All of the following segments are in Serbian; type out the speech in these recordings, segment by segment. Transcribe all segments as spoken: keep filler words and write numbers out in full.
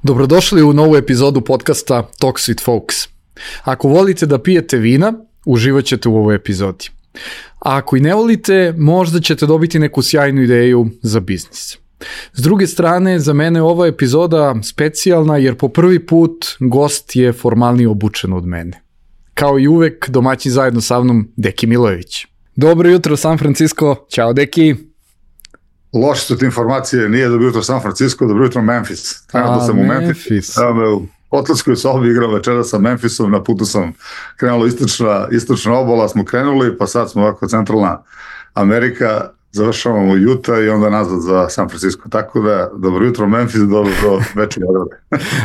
Dobrodošli u novu epizodu podcasta Talks with Folks. Ako volite da pijete vina, uživat ćete u ovoj epizodi. A ako i ne volite, možda ćete dobiti neku sjajnu ideju za biznis. S druge strane, za mene je ova epizoda specijalna jer po prvi put gost je formalnije obučen od mene. Kao i uvek, domaćin zajedno sa mnom, Deki Milojević. Dobro jutro, San Francisco. Ćao, Deki. Loše su te informacije, nije dobro jutro San Francisco, dobro jutro Memphis. Trenutno sam u Memphis. U hotelskoj sobi igram večera sa Memphisom, na putu sam krenulo istočna, istočna obala, smo krenuli, pa sad smo ovako centralna Amerika, završavamo u Utah i onda nazad za San Francisco. Tako da, dobro jutro Memphis, dobro večer Beograd.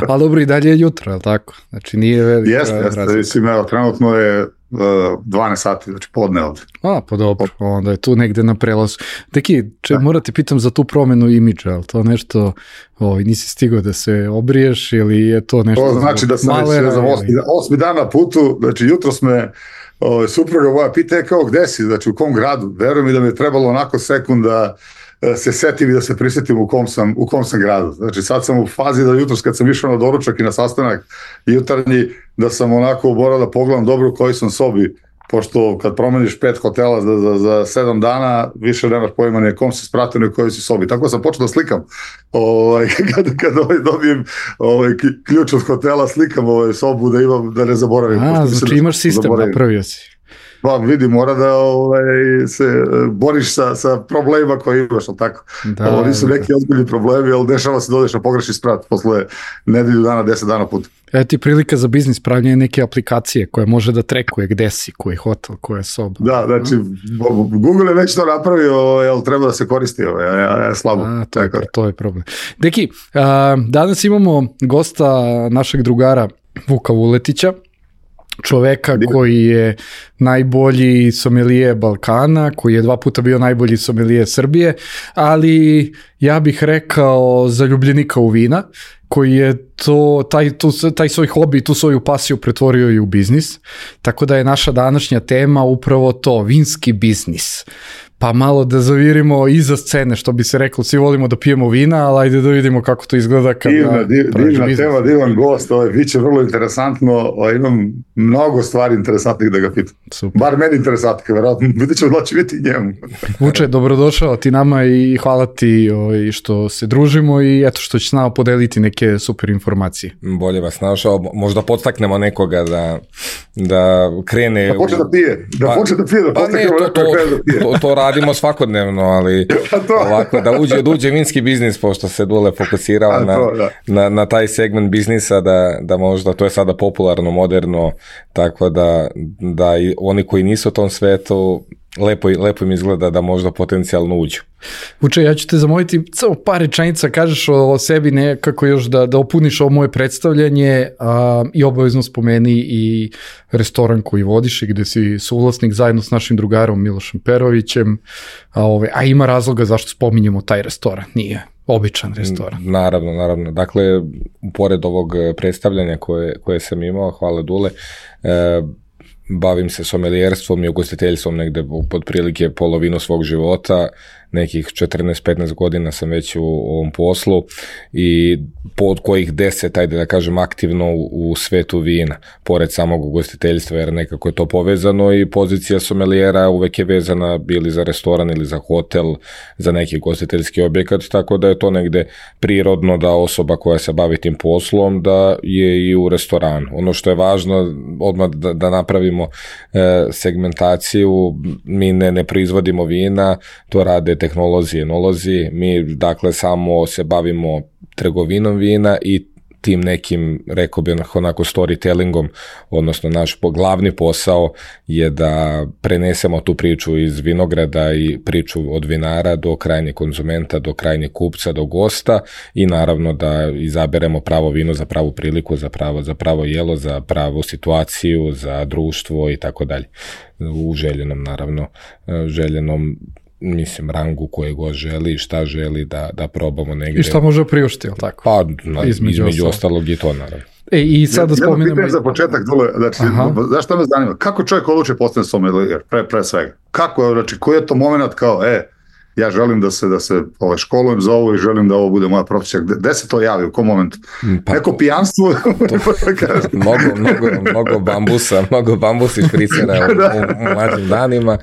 A dobro, i dalje je jutro, je li tako? Znači nije velika jeste, jeste, mislim, evo, trenutno je dvanaest sati, znači podne ovde. A, pa dobro, onda je tu negde na prelazu. Deki, če, morate pitam za tu promenu imidža, ali to nešto, ovaj, nisi stigao da se obriješ ili je to nešto... To znači da sam već, ne znam, osmi, osmi dan na putu, znači jutro sme, ovaj, supruga moja pita kao gde si, znači u kom gradu, verujem mi da mi je trebalo onako sekund da se setim i da se prisjetim u kom sam, u kom sam gradu. Znači sad sam u fazi da jutros kad sam išao na doručak i na sastanak jutarnji, da sam onako morao da pogledam dobro u kojoj sam sobi, pošto kad promeniš pet hotela za, za, za sedam dana, više nemaš pojma ni kom se spratio ni u kojoj si sobi. Tako sam počeo da slikam. Ovaj, kad kad ovaj, dobijem ovaj, ključ od hotela, slikam ovaj, sobu da imam, da ne zaboravim. A, znači imaš sistem, napravio si. Pa vidi, mora da ovaj, se boriš sa, sa problemima koje imaš, ali tako. Da, ovo nisu neki ozbiljni problemi, ali dešava se da odeš na pogrešni sprat posle nedelju dana, deset dana puta. Evo ti prilika za biznis, pravljanje neke aplikacije koja može da trekuje gde si, koji hotel, koja je soba. Da, znači, Google je već to napravio, ali treba da se koristi, ovaj, a, a, slabo. A, to, je, to je problem. Deki, a, danas imamo gosta našeg drugara Vuka Vuletića, čoveka koji je najbolji somelije Balkana, koji je dva puta bio najbolji somelije Srbije, ali ja bih rekao zaljubljenika u vina, koji je to, taj, tu, taj svoj hobi, tu svoju pasiju pretvorio i u biznis. Tako da je naša današnja tema upravo to, vinski biznis. Pa malo da zavirimo iza scene, što bi se reklo, svi volimo da pijemo vina, ali ajde da vidimo kako to izgleda kada divna, div, divna biznis. Tema, divan gost, ovaj, bit će vrlo interesantno, ovaj, imam mnogo stvari interesantnih da ga pitam. Super. Bar meni interesantnih, verovatno, vidjet ćemo da će biti njemu. Vuče, dobrodošao ti nama i hvala ti ovaj, što se družimo i eto što će s nama podeliti neke super informacije. Bolje vas našao, možda podstaknemo nekoga da, da krene... Da počne da pije, da pa, počne da pije, da pa ne, to, to, da pije. To, to radimo svakodnevno, ali ovako, da uđe, da uđe vinski biznis, pošto se Dule fokusirao na, na, na taj segment biznisa, da, da možda, to je sada popularno, moderno, tako da, da i oni koji nisu u tom svetu, lepo, lepo im izgleda da možda potencijalno uđu. Vuče, ja ću te zamoliti samo par rečenica, kažeš o, o sebi nekako još da, da opuniš ovo moje predstavljanje a, i obavezno spomeni i restoran koji vodiš i gde si suvlasnik zajedno s našim drugarom Milošem Perovićem, a, ove, a ima razloga zašto spominjemo taj restoran, nije običan restoran. Naravno, naravno. Dakle, pored ovog predstavljanja koje, koje sam imao, hvala Dule, e, bavim se somelijerstvom i ugostiteljstvom negde pod prilike polovinu svog života, nekih četrnaest petnaest godina sam već u ovom poslu i pod kojih deset, ajde da kažem, aktivno u, u svetu vina, pored samog ugostiteljstva, jer nekako je to povezano i pozicija somelijera uvek je vezana bili za restoran ili za hotel, za neki ugostiteljski objekat, tako da je to negde prirodno da osoba koja se bavi tim poslom da je i u restoranu. Ono što je važno, odmah da, da napravimo e, segmentaciju, mi ne, ne proizvodimo vina, to rade tehnolozi i enolozi, mi dakle samo se bavimo trgovinom vina i tim nekim, rekao bih onako storytellingom, odnosno naš glavni posao je da prenesemo tu priču iz vinograda i priču od vinara do krajnjeg konzumenta, do krajnjeg kupca, do gosta i naravno da izaberemo pravo vino za pravu priliku, za pravo, za pravo jelo, za pravu situaciju, za društvo i tako dalje. U željenom, naravno, željenom mislim, rangu koje god želi, šta želi da, da probamo negdje. I šta može priuštiti, ili tako? Pa, na, između, između ostalog i to, naravno. E, i sad da spomenemo... Jedno pitanje za početak, Dule, znači, znaš šta me zanima? Kako čovjek odluči postane sommelier, pre, pre svega? Kako je, znači, koji je to moment kao, e, ja želim da se, da se ove, školujem za ovo i želim da ovo bude moja profesija. Gde se to javi, u kom momentu? Pa, neko pijanstvo? mnogo, mnogo, mnogo bambusa, mnogo bambusa špricera u, u, u mlađim danima.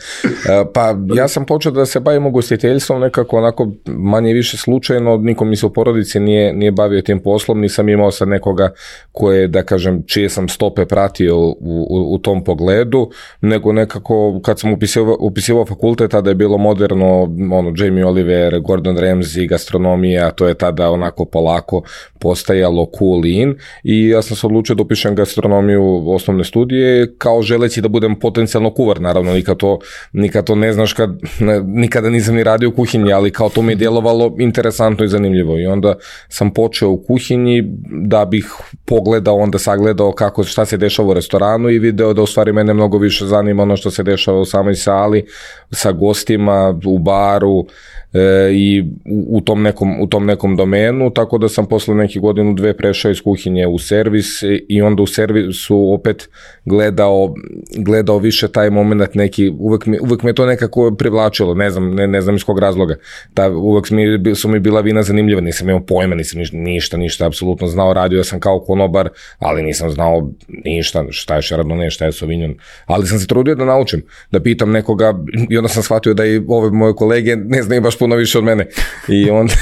Pa ja sam počeo da se bavim ugostiteljstvom nekako onako manje više slučajno, niko mi se u porodici nije, nije bavio tim poslom, nisam imao sad nekoga koje, da kažem, čije sam stope pratio u, u, u tom pogledu, nego nekako kad sam upisivao, upisivao fakultet, tada je bilo moderno, ono, Jamie Oliver, Gordon Ramsay, gastronomija, to je tada onako polako postajalo cool in i ja sam se odlučio da upišem gastronomiju osnovne studije kao želeći da budem potencijalno kuvar, naravno nikad to, nikad to ne znaš kad, ne, nikada nisam ni radio u kuhinji, ali kao to mi je djelovalo interesantno i zanimljivo i onda sam počeo u kuhinji da bih pogledao, onda sagledao kako, šta se dešava u restoranu i video da u stvari mene mnogo više zanima ono što se dešava u samoj sali sa gostima, u baru e, i u, u, tom nekom, u tom nekom domenu, tako da sam posle nekih godinu dve prešao iz kuhinje u servis i onda u servisu opet gledao, gledao više taj moment neki, uvek mi, uvek me to nekako privlačilo, ne znam, ne, ne znam iz kog razloga. Ta, uvek mi, su mi bila vina zanimljiva, nisam imao pojma, nisam ništa, ništa apsolutno znao, radio sam kao konobar, ali nisam znao ništa, šta je Chardonnay, šta je Sauvignon, ali sam se trudio da naučim, da pitam nekoga i onda sam shvatio da i ove moje kolege ne znaju baš puno više od mene i onda,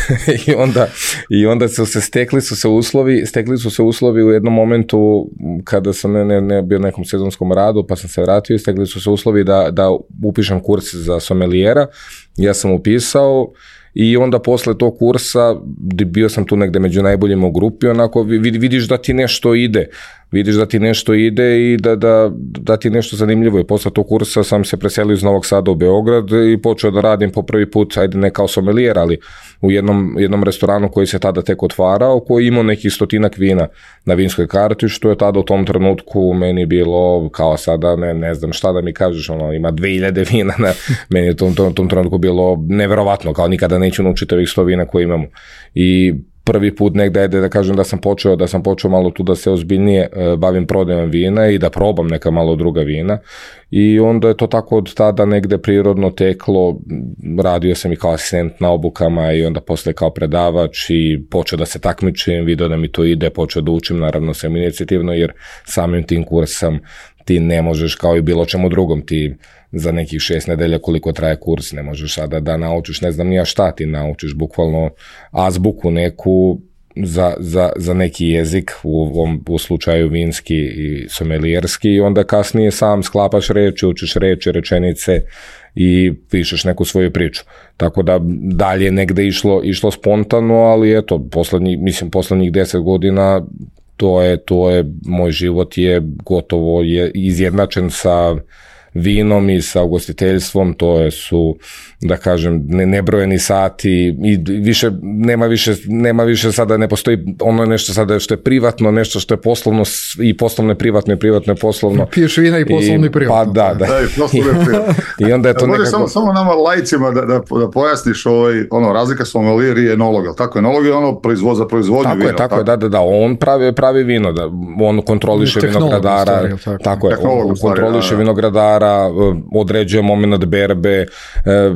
i onda, i onda su se stekli su se uslovi, stekli su se uslovi u jednom momentu kada sam ne, ne, ne bio nekom sezonskom radu, pa sam se vratio i stekli su se uslovi da, da upišem kurs za somelijera, ja sam upisao i onda posle tog kursa bio sam tu negde među najboljima u grupi, onako vidiš da ti nešto ide, vidiš da ti nešto ide i da, da, da ti nešto zanimljivo je. Posle tog kursa sam se preselio iz Novog Sada u Beograd i počeo da radim po prvi put, ajde ne kao somelijer, ali u jednom, jednom restoranu koji se tada tek otvarao, koji imao nekih stotinak vina na vinskoj karti, što je tada u tom trenutku meni bilo kao sada, ne, ne znam šta da mi kažeš, ono, ima dve hiljade vina, na, meni je u tom, tom, tom trenutku bilo neverovatno, kao nikada neću naučiti ovih sto vina koje imamo. I prvi put negde je da kažem da sam počeo, da sam počeo malo tu da se ozbiljnije uh, bavim prodajom vina i da probam neka malo druga vina i onda je to tako od tada negde prirodno teklo, radio sam i kao asistent na obukama i onda posle kao predavač i počeo da se takmičim, video da mi to ide, počeo da učim, naravno sam inicijativno jer samim tim kursom ti ne možeš kao i bilo čemu drugom, ti za nekih šest nedelja koliko traje kurs, ne možeš sada da naučiš, ne znam nija šta ti naučiš, bukvalno azbuku neku za, za, za neki jezik, u ovom u slučaju vinski i somelijerski i onda kasnije sam sklapaš reči, učiš reči, rečenice i pišeš neku svoju priču. Tako da dalje negde išlo, išlo spontano, ali eto, poslednjih, mislim, poslednjih deset godina to je, to je, moj život je gotovo je izjednačen sa vinom i sa ugostiteljstvom, to je su, da kažem, ne, nebrojeni sati i više, nema više, nema više sada, ne postoji ono nešto sada što je privatno, nešto što je poslovno i poslovno privatno i privatno je poslovno. Piješ vina i poslovno i privatno. Pa da, da. da i, I onda je to nekako... Samo, samo nama lajcima da, da, da pojasniš ovaj, ono, razlika sommelier i enolog, ali tako, enolog je ono proizvod za proizvodnju tako vina. Je, tako, tako je, da, da, da, on pravi, pravi vino, da, on kontroliše vinogradara, stvari, tako, tako je, on kontroliše da, da. vinogradara, određuje moment berbe,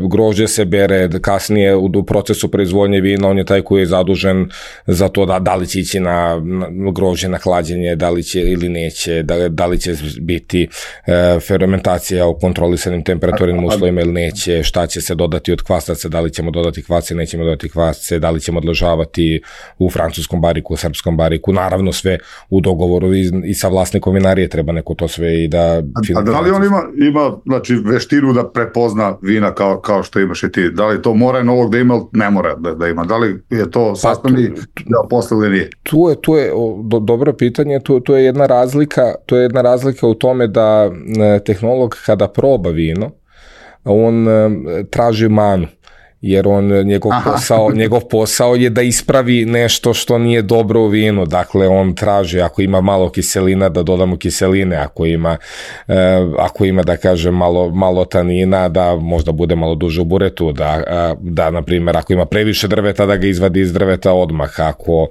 grožđe se bere, kasnije u procesu proizvodnje vina on je taj koji je zadužen za to da, da li će ići na, na grožđe na hlađenje, da li će ili neće, da, da li će biti e, fermentacija u kontrolisanim temperaturnim uslovima ili neće, šta će se dodati od kvasaca, da li ćemo dodati kvasce, nećemo dodati kvasce, da li ćemo odležavati u francuskom bariku, u srpskom bariku, naravno sve u dogovoru i, i sa vlasnikom vinarije treba neko to sve i da... A, a da li on ima, ima znači, veštinu da prepozna vina kao, kao što imaš i ti? Da li to mora enolog da ima, ne mora da, da ima? Da li je to sastavni deo posla ili nije? Tu je, tu je do, dobro pitanje, tu, tu je jedna razlika, tu je jedna razlika u tome da e, tehnolog kada proba vino, on e, traži manu. Jer on, njegov posao, njegov posao je da ispravi nešto što nije dobro u vinu, dakle on traži ako ima malo kiselina da dodamo kiseline, ako ima, eh, ako ima da kažem malo, malo tanina da možda bude malo duže u buretu, da, da na primjer ako ima previše drveta da ga izvadi iz drveta odmah, ako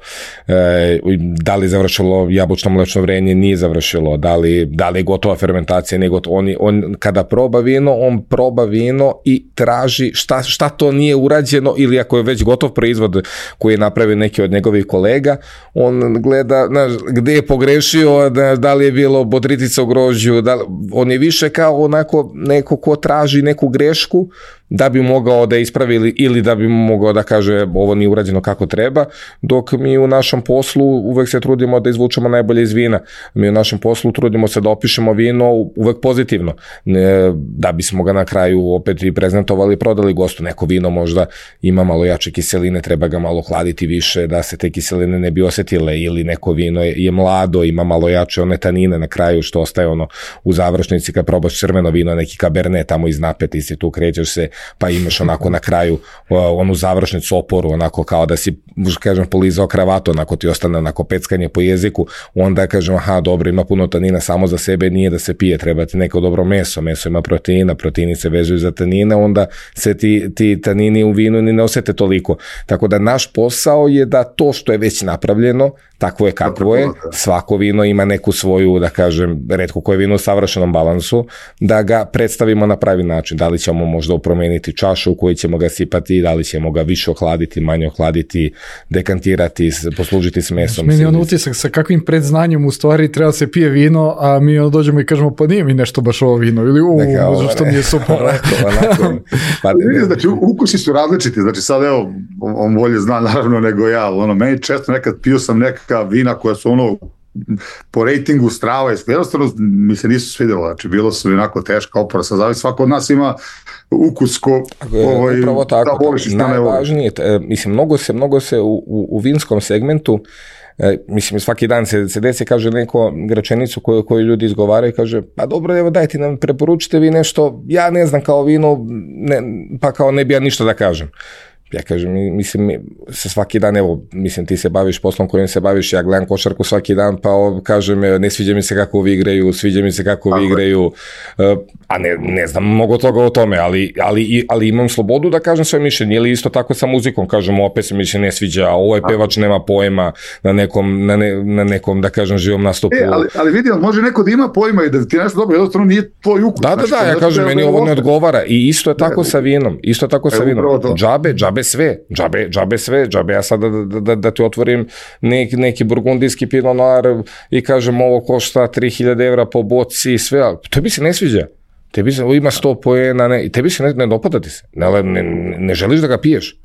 eh, da li završilo jabučno mlečno vrenje, nije završilo, da li, da li je gotova fermentacija, nije gotova, on, on kada proba vino, on proba vino i traži šta, šta to nije urađeno ili ako je već gotov proizvod koji je napravio neki od njegovih kolega, on gleda, znaš, gde je pogrešio, da, da li je bilo bodritica u grožđu, da, on je više kao onako neko ko traži neku grešku da bi mogao da ispravi ili, ili da bi mogao da kaže ovo nije urađeno kako treba, dok mi u našem poslu uvek se trudimo da izvučemo najbolje iz vina. Mi u našem poslu trudimo se da opišemo vino uvek pozitivno, ne, da bismo ga na kraju opet i prezentovali i prodali gostu. Neko vino možda ima malo jače kiseline, treba ga malo hladiti više da se te kiseline ne bi osetile, ili neko vino je, je mlado, ima malo jače one tanine na kraju što ostaje ono u završnici kad probaš crveno vino, neki kabernet tamo iz napeti si tu krećeš se, pa imaš onako na kraju onu završnicu oporu, onako kao da si, kažem, polizao kravatu, onako ti ostane onako peckanje po jeziku, onda kažem, aha, dobro, ima puno tanina samo za sebe, nije da se pije, treba ti neko dobro meso, meso ima proteina, proteini se vezuju za tanine, onda se ti, ti tanini u vinu ni ne osete toliko. Tako da naš posao je da to što je već napravljeno, takvo je kakvo je, svako vino ima neku svoju, da kažem, retko koje vino u savršenom balansu, da ga predstavimo na pravi način, da li ćemo možda promeniti čašu u kojoj ćemo ga sipati, da li ćemo ga više ohladiti, manje ohladiti, dekantirati, poslužiti s mesom. Meni je on utisak sa kakvim predznanjem u stvari treba se pije vino, a mi ono dođemo i kažemo pa nije mi nešto baš ovo vino, ili u, zašto mi je super. Pa, znači, ukusi su različiti, znači sad evo, on bolje zna naravno nego ja, ono, meni često nekad pio sam neka vina koja su ono po rejtingu strava, jednostavno mi se nisu svidjelo, znači bilo su onako teška opora, sad zavisi, svako od nas ima ukus ko ovaj, upravo tako, da voliš i šta ne voliš. Najvažnije, mislim, mnogo se, mnogo se u, u, u vinskom segmentu, e, mislim, svaki dan se, se desi, kaže neko rečenicu koju, koju ljudi izgovaraju, kaže, pa dobro, evo dajte nam, preporučite vi nešto, ja ne znam kao vino, ne, pa kao ne bi ja ništa da kažem. Ja kažem, mislim, se svaki dan, evo, mislim, ti se baviš poslom kojim se baviš, ja gledam košarku svaki dan, pa o, kažem, ne sviđa mi se kako vi igraju, sviđa mi se kako vi igraju, a ne, ne znam mnogo toga o tome, ali, ali, ali imam slobodu da kažem svoje mišljenje, ili isto tako sa muzikom, kažem, opet se mi se ne sviđa, ovo je pevač, nema pojma na nekom, na, ne, na nekom, da kažem, živom nastupu. E, ali, ali vidi, može neko da ima pojma i da ti nešto dobro, jednostavno nije tvoj ukus. Da, da, da, ja kažem, meni ovo ne odgovara i isto je tako sa vinom, isto je tako sa vinom, džabe, džabe sve, džabe, džabe sve, džabe ja sada da, da, da ti otvorim neki, neki burgundijski pinot noir i kažem ovo košta tri hiljade evra po boci i sve, ali tebi se ne sviđa, tebi se, ima sto poena, ne, tebi se ne, ne dopada ti se, ne, ne, ne želiš da ga piješ.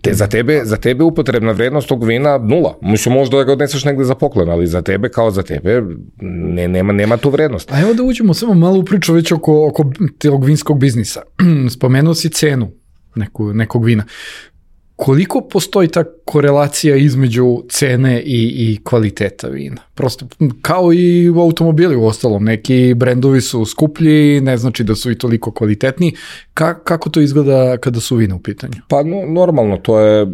Te, za, tebe, za tebe upotrebna vrednost tog vina nula. Mislim, možda da ga odneseš negde za poklon, ali za tebe kao za tebe ne, nema, nema tu vrednost. A evo da uđemo samo malo u priču već oko, oko tog vinskog biznisa. Spomenuo si cenu neku, nekog vina. Koliko postoji ta korelacija između cene i, i kvaliteta vina? Prosto, kao i u automobili u ostalom, neki brendovi su skuplji, ne znači da su i toliko kvalitetni. Ka, kako to izgleda kada su vina u pitanju? Pa no, normalno, to je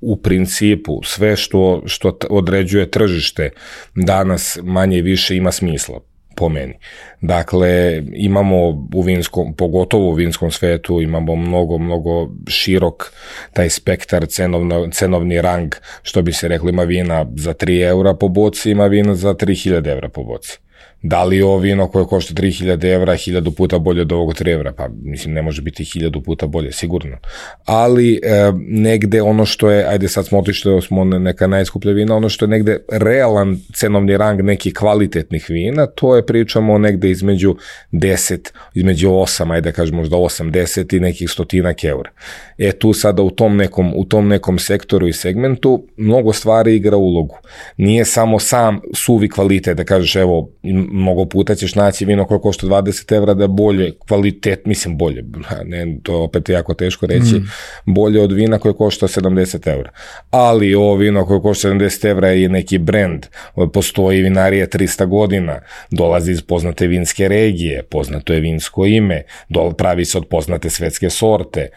u principu sve što, što određuje tržište danas manje i više ima smisla. Po meni. Dakle, imamo u vinskom, pogotovo u vinskom svetu, imamo mnogo, mnogo širok taj spektar, cenovno, cenovni rang, što bi se reklo, ima vina za tri eura po boci, ima vina za tri hiljade evra po boci. Da li je ovo vino koje košta tri hiljade evra, hiljadu puta bolje od ovog tri evra? Pa mislim, ne može biti hiljadu puta bolje, sigurno. Ali e, negde ono što je, ajde sad smo otišli, smo neka najskuplja vina, ono što je negde realan cenovni rang nekih kvalitetnih vina, to je pričamo negde između deset, između osam, ajde kažem možda osam, deset i nekih stotinak eura. E tu sada u tom nekom, u tom nekom sektoru i segmentu mnogo stvari igra ulogu. Nije samo sam suvi kvalitet, da kažeš evo, mnogo puta ćeš naći vino koje košta dvadeset evra da je bolje, kvalitet, mislim bolje, ne, to je opet jako teško reći, mm. bolje od vina koje košta sedamdeset evra. Ali ovo vino koje košta sedamdeset evra je neki brand, postoji vinarija trista godina, dolazi iz poznate vinske regije, poznato je vinsko ime, pravi se od poznate svetske sorte,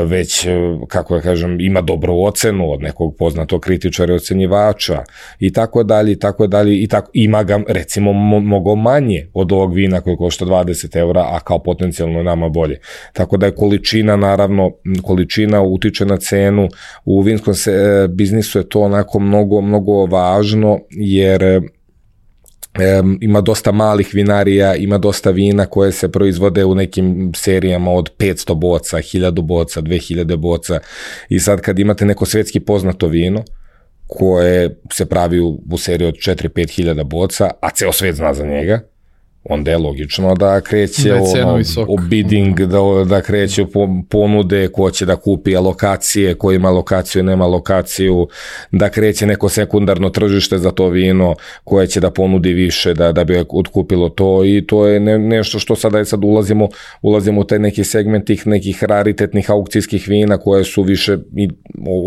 već, kako ja kažem, ima dobru ocenu od nekog poznatog kritičara i ocenjivača i tako dalje, i tako dalje, i tako, ima ga, recimo, mnogo manje od ovog vina koji košta dvadeset evra, a kao potencijalno nama bolje. Tako da je količina, naravno, količina utiče na cenu. U vinskom se, biznisu je to onako mnogo, mnogo važno, jer Um, ima dosta malih vinarija, ima dosta vina koje se proizvode u nekim serijama od petsto boca, hiljadu boca, dve hiljade boca i sad kad imate neko svetski poznato vino koje se pravi u, u seriji od četiri do pet hiljada boca, a ceo svet zna za njega, onda je logično da kreće ono, o bidding, da, da kreće ponude, ko će da kupi alokacije, ko ima lokaciju, nema lokaciju, da kreće neko sekundarno tržište za to vino koje će da ponudi više, da, da bi otkupilo to i to je ne, nešto što sada je sad ulazimo, ulazimo u taj neki segment tih nekih raritetnih aukcijskih vina koje su više i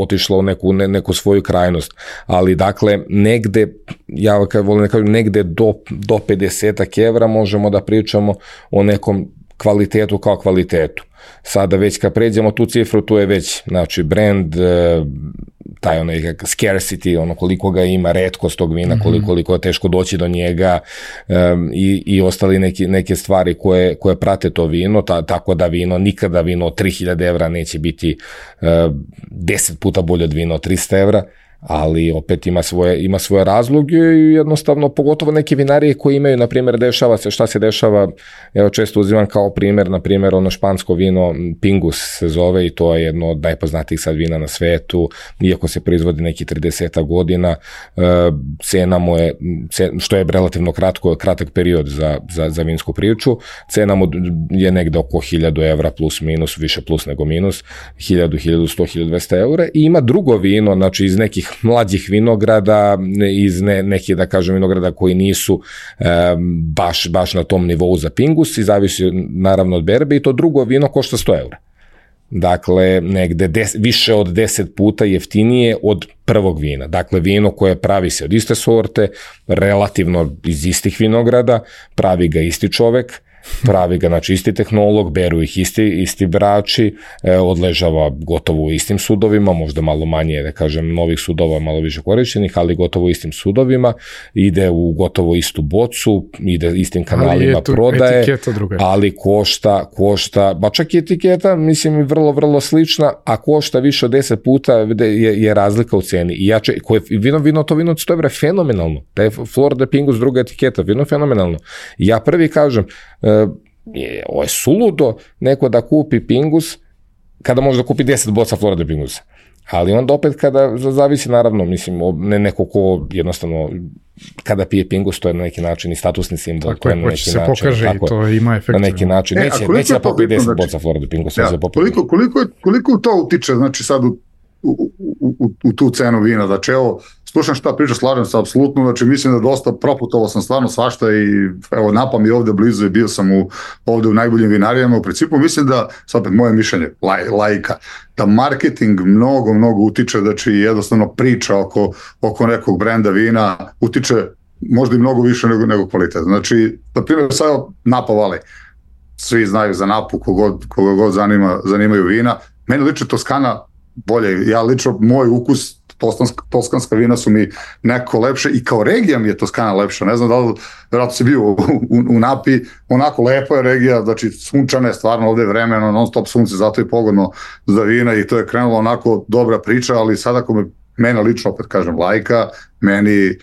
otišlo u neku, ne, neku svoju krajnost. Ali dakle, negde, ja kad volim da kažem, negde do, do pedeset evra možemo da pričamo o nekom kvalitetu kao kvalitetu. Sada već kad pređemo tu cifru, tu je već, znači, brand, taj onaj scarcity, ono koliko ga ima, retkost tog vina, koliko, koliko je teško doći do njega um, i, i ostali neki, neke stvari koje, koje prate to vino, ta, tako da vino, nikada vino od tri hiljade evra neće biti uh, deset puta bolje od vina od trista evra, ali opet ima svoje, ima svoje razloge i jednostavno, pogotovo neke vinarije koje imaju, na primjer, dešava se, šta se dešava, evo često uzimam kao primjer, na primjer, ono špansko vino Pingus se zove i to je jedno od najpoznatijih sad vina na svetu, iako se proizvodi neki trideset godina, cena mu je, što je relativno kratko, kratak period za, za, za vinsku priču, cena mu je negde oko hiljadu evra plus minus, više plus nego minus, hiljadu, hiljadu sto, hiljadu dvesta eura i ima drugo vino, znači iz nekih mlađih vinograda, iz ne, nekih, da kažem, vinograda koji nisu e, baš, baš na tom nivou za Pingus i zavisi naravno od berbe i to drugo vino košta sto eura. Dakle, negde des, više od deset puta jeftinije od prvog vina. Dakle, vino koje pravi se od iste sorte, relativno iz istih vinograda, pravi ga isti čovek, pravi ga, znači, isti tehnolog, beru ih isti, isti brači, e, odležava gotovo u istim sudovima, možda malo manje, da kažem, novih sudova, malo više korišćenih, ali gotovo u istim sudovima, ide u gotovo istu bocu, ide istim kanalima prodaje, ali košta, košta, ba čak i etiketa, mislim, vrlo, vrlo slična, a košta više od deset puta je, je razlika u ceni. I ja če, koje, vino, vino, to vino od sto evra je fenomenalno, da je Flor de Pingus druga etiketa, vino je fenomenalno. I ja prvi kažem, je, ovo je suludo neko da kupi Pingus kada može da kupi deset boca Flora de Pingusa. Ali onda opet kada zavisi, naravno, mislim, ne neko ko jednostavno kada pije Pingus, to je na neki način i statusni simbol. Tako je, na se način, pokaže tako, i to ima efekt. Na neki način, e, neće, neće da popije deset znači, boca Flora de Pingusa. Ja, koliko, koliko, koliko to utiče, znači sad u, u, u, u tu cenu vina, znači evo, slušam šta priča, slažem se apsolutno, znači mislim da dosta proputovao sam stvarno svašta i evo napam i ovde blizu i bio sam u, ovde u najboljim vinarijama, u principu mislim da, sad opet moje mišljenje, laj, lajka, da marketing mnogo, mnogo utiče, znači jednostavno priča oko, oko nekog brenda vina utiče možda i mnogo više nego, nego kvalitet. Znači, na primjer, sad Napa Valley, svi znaju za Napu, kogod, koga god zanima, zanimaju vina, meni liči Toskana bolje, ja lično, moj ukus Toskanska, toskanska vina su mi neko lepše i kao regija mi je Toskana lepša, ne znam da li, vjerojatno si bio u, u, u Napi, onako lepa je regija, znači sunčana je stvarno ovde vremeno, non stop sunce, zato je pogodno za vina i to je krenulo onako dobra priča, ali sada ako me, mene lično opet kažem lajka, meni e,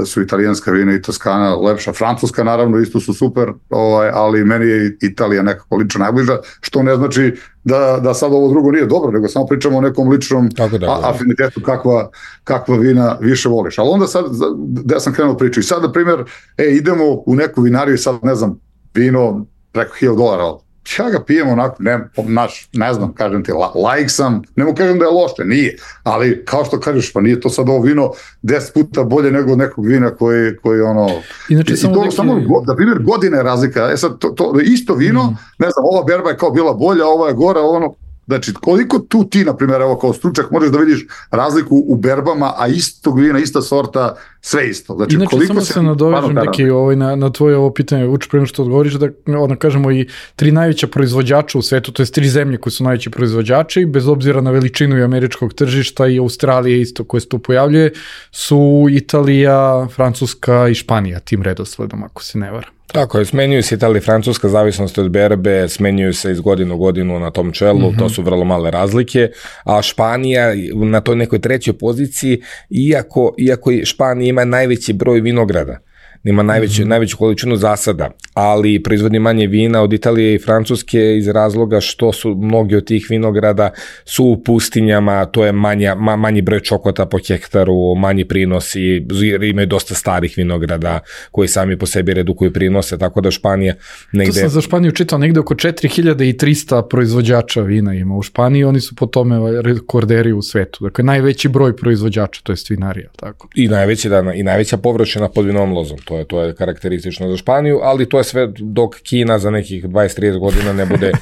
su italijanska vina i Toskana lepša, francuska naravno isto su super, ovaj, ali meni je Italija nekako lično najbliža, što ne znači da, da sad ovo drugo nije dobro, nego samo pričamo o nekom ličnom da, a, afinitetu kakva, kakva vina više voliš. Ali onda sad, da ja sam krenuo priču i sad, na primjer, e, idemo u neku vinariju i sad, ne znam, vino preko hiljadu dolara, ja ga pijem onako, ne, naš, ne znam, kažem ti, lajk sam, ne mu kažem da je loše, nije, ali kao što kažeš, pa nije to sad ovo vino deset puta bolje nego od nekog vina koji, koji ono, inače, i samo, to, neki... samo da primjer godine je razlika, e sad, to, to isto vino, mm. ne znam, ova berba je kao bila bolja, ova je gora, ono, znači, koliko tu ti, na primjer, evo kao stručak, možeš da vidiš razliku u berbama, a istog vina, ista sorta, sve isto. Znači, inače, koliko samo se nadovežem neki ovaj, na, na tvoje ovo pitanje, uči prema što odgovoriš, da ono, kažemo i tri najveća proizvođača u svetu, to je tri zemlje koji su najveći proizvođači, bez obzira na veličinu i američkog tržišta i Australije isto koje se tu pojavljuje, su Italija, Francuska i Španija, tim redosledom, ako se ne varam. Tako je, smenjuju se Italija i Francuska, zavisnosti od berbe, smenjuju se iz godinu u godinu na tom čelu, mm-hmm. to su vrlo male razlike, a Španija na toj nekoj trećoj poziciji, iako, iako Španija ima najveći broj vinograda ima najveću, mm-hmm. najveću količinu zasada, ali proizvodi manje vina od Italije i Francuske iz razloga što su mnogi od tih vinograda su u pustinjama, to je manja, ma, manji broj čokota po hektaru, manji prinosi, imaju dosta starih vinograda koji sami po sebi redukuju prinose, tako da Španija negde... To sam za Španiju čitao, negde oko četiri hiljade trista proizvođača vina ima u Španiji, oni su po tome rekorderi u svetu, dakle najveći broj proizvođača, to je vinarija, tako. I najveći dana, i najveća površina pod vinovom lozom, to je to je karakteristično za Španiju, ali to je sve dok Kina za nekih dvadeset do trideset godina ne bude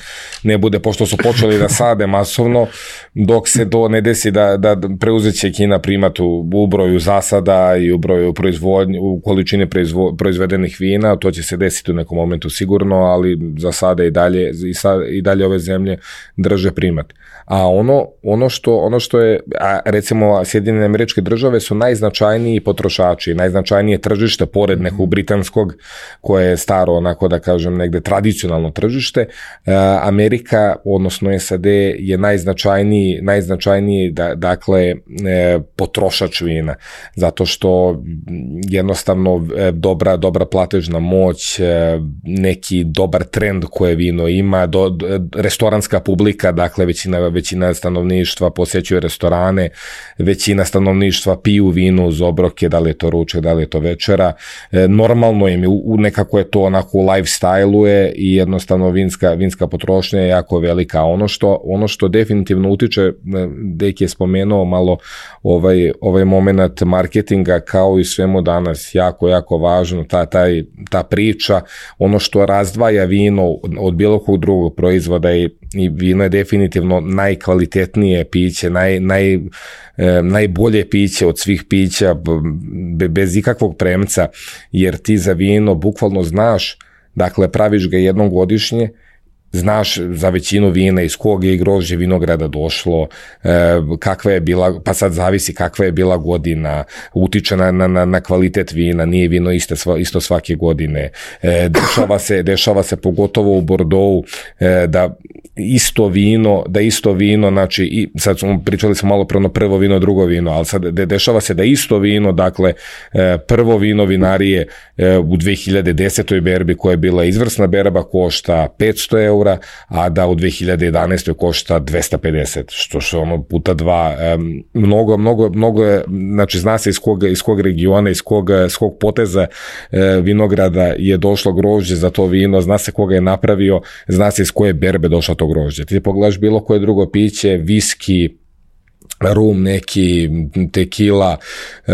ne bude pošto su počeli da sade masovno, dok se to ne desi da da preuzeće Kina primat u, u broju zasada i u broju proizvodnje, u količini proizvo, proizvedenih vina, to će se desiti u nekom momentu sigurno, ali za sada i dalje i, sad, i dalje ove zemlje drže primat. A ono, ono, što, ono što je, a recimo Sjedinjene Američke Države su najznačajniji potrošači, najznačajnije tržište pored nekog britanskog koje je staro, onako da kažem negde tradicionalno tržište. Amerika, odnosno S A D je najznačajniji, najznačajniji da, dakle potrošač vina, zato što jednostavno dobra, dobra platežna moć, neki dobar trend koje vino ima, do, restoranska publika, dakle većina većina stanovništva posjećuje restorane, većina stanovništva piju vino uz obroke, da li je to ručak, da li je to večera. E, normalno im je, u, nekako je to onako u lifestyle-u je i jednostavno vinska, vinska potrošnja je jako velika. Ono što, ono što definitivno utiče, Deki je spomenuo malo ovaj, ovaj moment marketinga kao i svemu danas, jako, jako važno, ta, taj, ta priča, ono što razdvaja vino od bilo kog drugog proizvoda i, i vino je definitivno najkvalitetnije piće, naj, naj, e, najbolje piće od svih pića, be, bez ikakvog premca, jer ti za vino bukvalno znaš, dakle praviš ga jednom godišnje, znaš za većinu vina iz kog je grožđe vinograda došlo, e, kakva je bila, pa sad zavisi kakva je bila godina, utiče na, na, na kvalitet vina, nije vino isto, isto svake godine, e, dešava se, dešava se pogotovo u Bordeauxu e, da isto vino, da isto vino, znači, i sad smo pričali smo malo prvo prvo vino, drugo vino, ali sad de, dešava se da isto vino, dakle, e, prvo vino vinarije e, u dve hiljade desetoj berbi koja je bila izvrsna berba košta petsto eura, a da u dve hiljade jedanaestoj košta dvesta pedeset, što što ono puta dva, e, mnogo, mnogo, mnogo je, znači zna se iz kog, iz kog regiona, iz kog, iz kog poteza e, vinograda je došlo grožđe za to vino, zna se koga je napravio, zna se iz koje berbe došlo to grožđe. Ti pogledaš bilo koje drugo piće, viski, rum neki, tekila, e,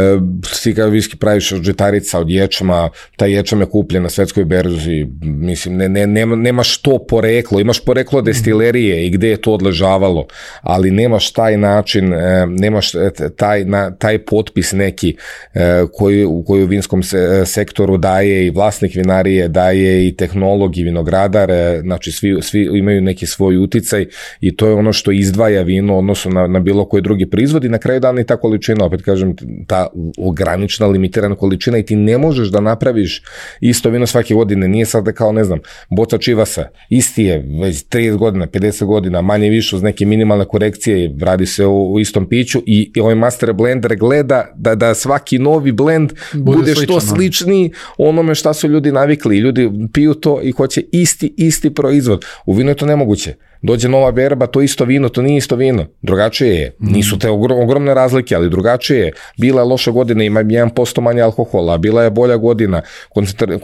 ti kada viski praviš od žitarica, od ječma, taj ječam je kupljen na svetskoj berzi, mislim, ne, ne, nema, nemaš to poreklo, imaš poreklo destilerije i gde je to odležavalo, ali nemaš taj način, e, nemaš taj, na, taj potpis neki e, koji, koji u vinskom se, sektoru daje i vlasnik vinarije, daje i tehnolog i vinogradar, e, znači svi, svi imaju neki svoj uticaj i to je ono što izdvaja vino odnosno na, na bilo koji drugi proizvodi, na kraju dana i ta količina, opet kažem, ta ograničena, limitirana količina i ti ne možeš da napraviš isto vino svake godine, nije sad da kao, ne znam, boca čivasa, isti je već trideset godina, pedeset godina, manje više uz neke minimalne korekcije, radi se o, o istom piću i, i ovaj master blender gleda da, da svaki novi blend bude, bude što sličniji onome šta su ljudi navikli i ljudi piju to i hoće isti, isti proizvod. U vinu je to nemoguće. Dođe nova berba, to isto vino, to nije isto vino. Drugačije je. Nisu te ogromne razlike, ali drugačije je. Bila je loša godina, ima jedan posto manje alkohola, bila je bolja godina,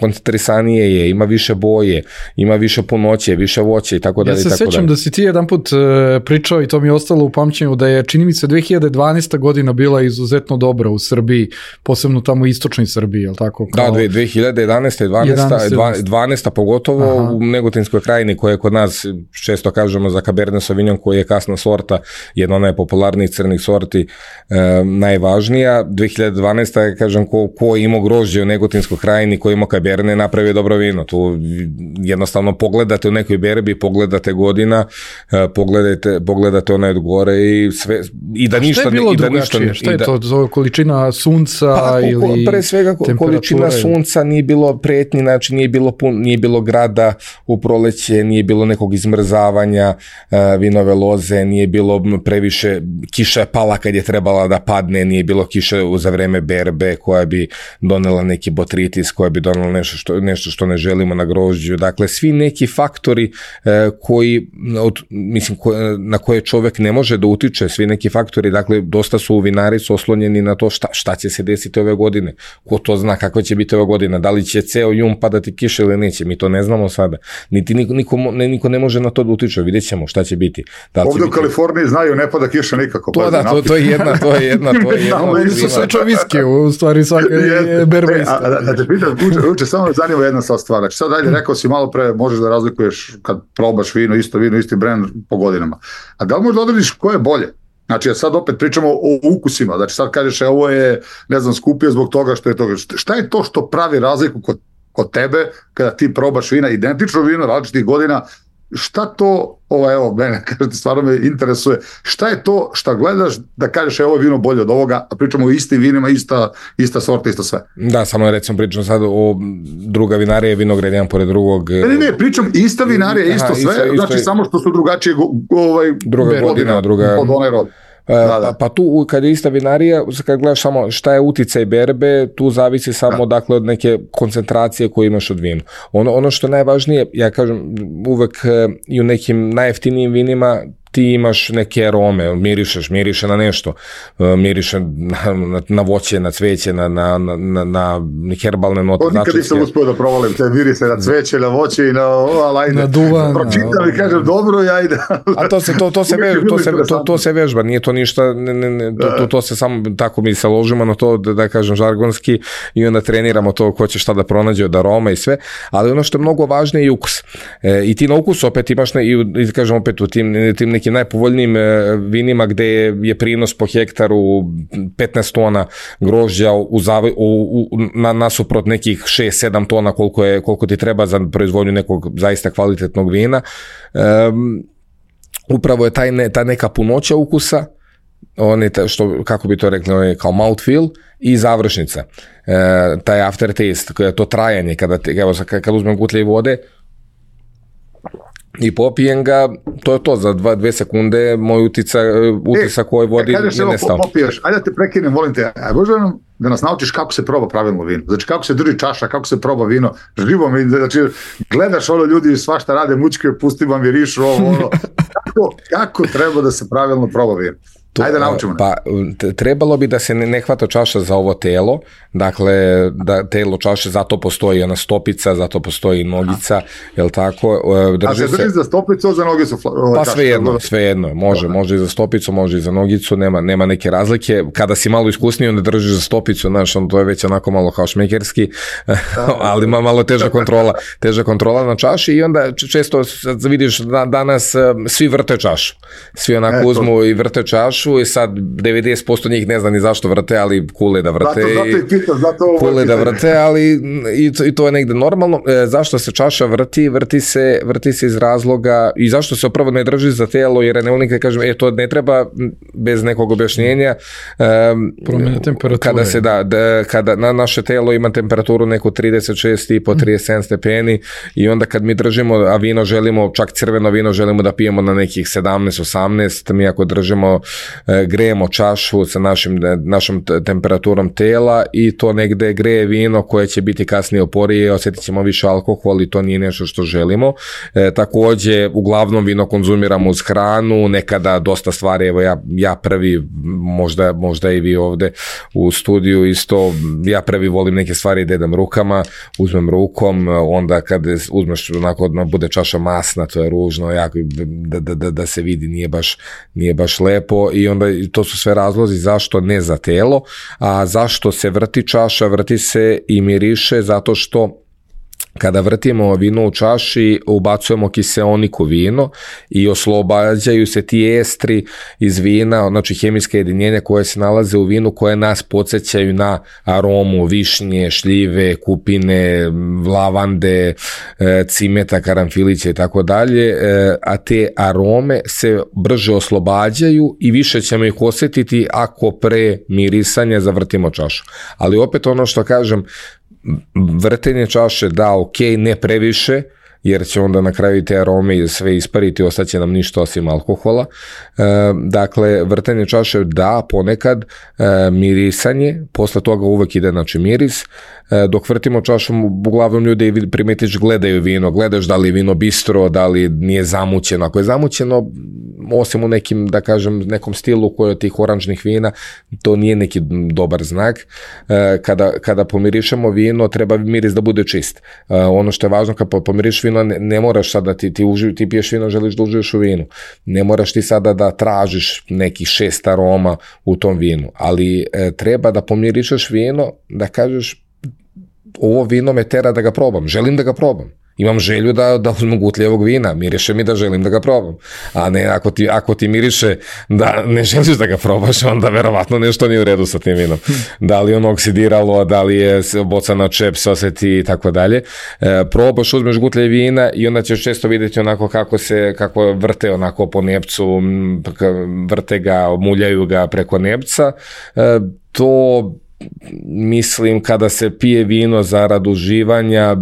koncentrisanije je, ima više boje, ima više punoće, više voće i tako dalje. Ja se sećam da si ti jedan put uh, pričao i to mi je ostalo u pamćenju da je, čini mi se, dve hiljade dvanaesta godina bila izuzetno dobra u Srbiji, posebno tamo u istočnoj Srbiji, je li tako? Kao... Da, dve hiljade jedanaesta. dvanaesta. dvanaesta pogotovo. Aha. U Negotinskoj krajini koja je kod nas često kažemo za Cabernet Sauvignon koji je kasna sorta, jedna od najpopularnijih crnih sorti, e, najvažnija. dve hiljade dvanaesta. kažem, ko, ko ima grožđe u Negotinskoj krajini, ko ima Cabernet, napravi dobro vino. Tu jednostavno pogledate u nekoj berbi, pogledate godina, e, pogledate, pogledate onaj od gore i sve, i da ništa... Šta je bilo i da drugačije? Ništa, šta je da, to? Zove količina sunca pa, ili pre svega količina sunca, nije bilo pretnji, znači nije bilo, pun, nije bilo grada u proleće, nije bilo nekog izmrzavanja, opadanja vinove loze, nije bilo previše, kiša je pala kad je trebala da padne, nije bilo kiše za vreme berbe koja bi donela neki botritis, koja bi donela nešto što, nešto što ne želimo na grožđu. Dakle, svi neki faktori koji, od, mislim, na koje čovjek ne može da utiče, svi neki faktori, dakle, dosta su vinari su oslonjeni na to šta, šta će se desiti ove godine, ko to zna kakva će biti ove godine, da li će ceo jun padati kiša ili neće, mi to ne znamo sada, niti niko, niko, ne, niko ne može na to da utiče, vidjet ćemo šta će biti. Da Ovdje će u biti... Kaliforniji znaju ne pada kiša nikako. To da, to, to je jedna, to je jedna, to je jedna. Su sve čoviski, u stvari svaka je berba isto. A da te pitam, uče, uče, samo me zanima jedna sad stvar, znači sad dalje rekao si malo pre, možeš da razlikuješ kad probaš vino, isto vino, isti brand po godinama, a da li možda odrediš ko je bolje? Znači, sad opet pričamo o ukusima, znači sad kažeš e, ovo je, ne znam, skupio zbog toga što je toga. Šta je to što pravi razliku kod, kod tebe kada ti probaš vina, identično vino, različitih godina, šta to, ovo evo, mene, kažete, stvarno me interesuje, šta je to šta gledaš da kažeš e, ovo je vino bolje od ovoga, a pričamo o istim vinima, ista, ista sorta, isto sve. Da, samo recimo pričam sad o druga vinarija je vinograd jedan pored drugog. Ne, ne, ne, pričam ista vinarija, isto Aha, sve, isto, znači isto, samo što su drugačije ovaj, druga godina, druga... od one rod. Da, da. Pa, pa tu kad je ista vinarija, kad gledaš samo šta je uticaj berbe, tu zavisi samo da. dakle od neke koncentracije koju imaš od vina. Ono, ono što je najvažnije, ja kažem uvek i u nekim najjeftinijim vinima ti imaš neke arome, mirišeš, miriše na nešto, miriše na, na, na voće, na cveće, na, na, na, na herbalne note. To nikad nisam uspio da provalim te mirise na cveće, na voće i na alajne. Na duvan. Pročitam i kažem dobro, ja idem. A to se, to, to se, vež, to se, to, to se vežba, nije to ništa, ne, ne, ne, to, to, to se samo, tako mi se ložimo na to, da, da kažem žargonski, i onda treniramo to ko će šta da pronađe od aroma i sve, ali ono što je mnogo važnije je ukus. E, I ti na ukus opet imaš, ne, i, i kažem opet u tim, tim nekim najpovoljnijim vinima gde je prinos po hektaru petnaest tona grožđa u, zavi, u, u, na, nasuprot nekih šest sedam tona koliko, je, koliko ti treba za proizvodnju nekog zaista kvalitetnog vina. Um, upravo je taj ne, ta neka punoća ukusa, on je ta, što, kako bi to rekli, on je kao mouthfeel i završnica. E, taj aftertaste, to trajanje, kada, te, evo, kada uzmem gutlje vode i popijem ga, to je to, za dva, dve sekunde moj utica, utisak koji vodi e, ne nestao. Popiješ, ajde da te prekinem, volim te, a možda nam da nas naučiš kako se proba pravilno vino, znači kako se drži čaša, kako se proba vino, živo mi, znači gledaš ono ljudi svašta rade, mučke, pusti vam virišu, ovo, ono, kako, kako treba da se pravilno proba vino? To, Ajde naučimo. Pa trebalo bi da se ne, ne hvata čaša za ovo telo, dakle da telo čaše, zato postoji ona stopica, zato postoji nogica, jel tako? Drži A se drži se... za stopicu, za nogicu? Pa sve jedno, sve jedno, može, može i za stopicu, može i za nogicu, nema, nema neke razlike. Kada si malo iskusniji, onda držiš za stopicu, znaš, on to je već onako malo kao šmekerski, ali malo teža kontrola, teža kontrola na čaši i onda često vidiš da danas svi vrte čašu, svi onako e, uzmu i vrte čašu i sad devedeset posto njih ne zna ni zašto vrte, ali kule da vrte. Zato, zato i pitam, zato ovo kule da vrte, ali i to, i to je negde normalno. E, zašto se čaša vrti? Vrti se, vrti se iz razloga i zašto se opravo ne drži za telo, jer ne volim kad kažem, e, to ne treba bez nekog objašnjenja. E, Promjena temperature. Kada se da, da, kada na naše telo ima temperaturu neku trideset šest i po trideset sedam stepeni i onda kad mi držimo, a vino želimo, čak crveno vino želimo da pijemo na nekih sedamnaest osamnaest, mi ako držimo grejemo čašu sa našim, našom temperaturom tela i to negde greje vino koje će biti kasnije oporije, osjetit ćemo više alkohol i to nije nešto što želimo. E, takođe, uglavnom vino konzumiramo uz hranu, nekada dosta stvari, evo ja, ja prvi, možda, možda i vi ovde u studiju isto, ja prvi volim neke stvari da jedem rukama, uzmem rukom, onda kad uzmeš onako, bude čaša masna, to je ružno, jako, da, da, da, da se vidi, nije baš, nije baš lepo i onda to su sve razlozi zašto ne za telo, a zašto se vrti čaša, vrti se i miriše zato što kada vrtimo vino u čaši, ubacujemo kiseonik u vino i oslobađaju se ti estri iz vina, znači hemijske jedinjenja koje se nalaze u vinu, koje nas podsjećaju na aromu višnje, šljive, kupine, lavande, cimeta, karanfilića i tako dalje, a te arome se brže oslobađaju i više ćemo ih osjetiti ako pre mirisanja zavrtimo čašu. Ali opet ono što kažem, vrtenje čaše, da, ok, ne previše, jer će onda na kraju te arome sve ispariti, ostaće nam ništa osim alkohola. E, dakle, vrtenje čaše da, ponekad, e, mirisanje, posle toga uvek ide znači miris, e, dok vrtimo čašom, uglavnom ljudi primetiš gledaju vino, gledaš da li je vino bistro, da li nije zamućeno. Ako je zamućeno, osim u nekim, da kažem, nekom stilu koji od tih oranžnih vina, to nije neki dobar znak. E, kada, kada pomirišemo vino, treba miris da bude čist. E, ono što je važno, kad pomiriš vino, ne, ne moraš sada, ti, ti, uži, ti piješ vino, želiš da uživiš u vinu. Ne moraš ti sada da tražiš nekih šest aroma u tom vinu, ali e, treba da pomirišeš vino, da kažeš ovo vino me tera da ga probam, želim da ga probam. Imam želju da, da uzmem gutljevog vina, miriše mi da želim da ga probam. A ne, ako ti, ako ti miriše da ne želiš da ga probaš, onda verovatno nešto nije u redu sa tim vinom. Da li je ono oksidiralo, da li je boca na čep se oseti i tako dalje. E, probaš, uzmeš gutlje vina i onda ćeš često vidjeti onako kako se, kako vrte onako po nepcu, vrte ga, muljaju ga preko nepca. E, to, mislim, kada se pije vino zarad uživanja,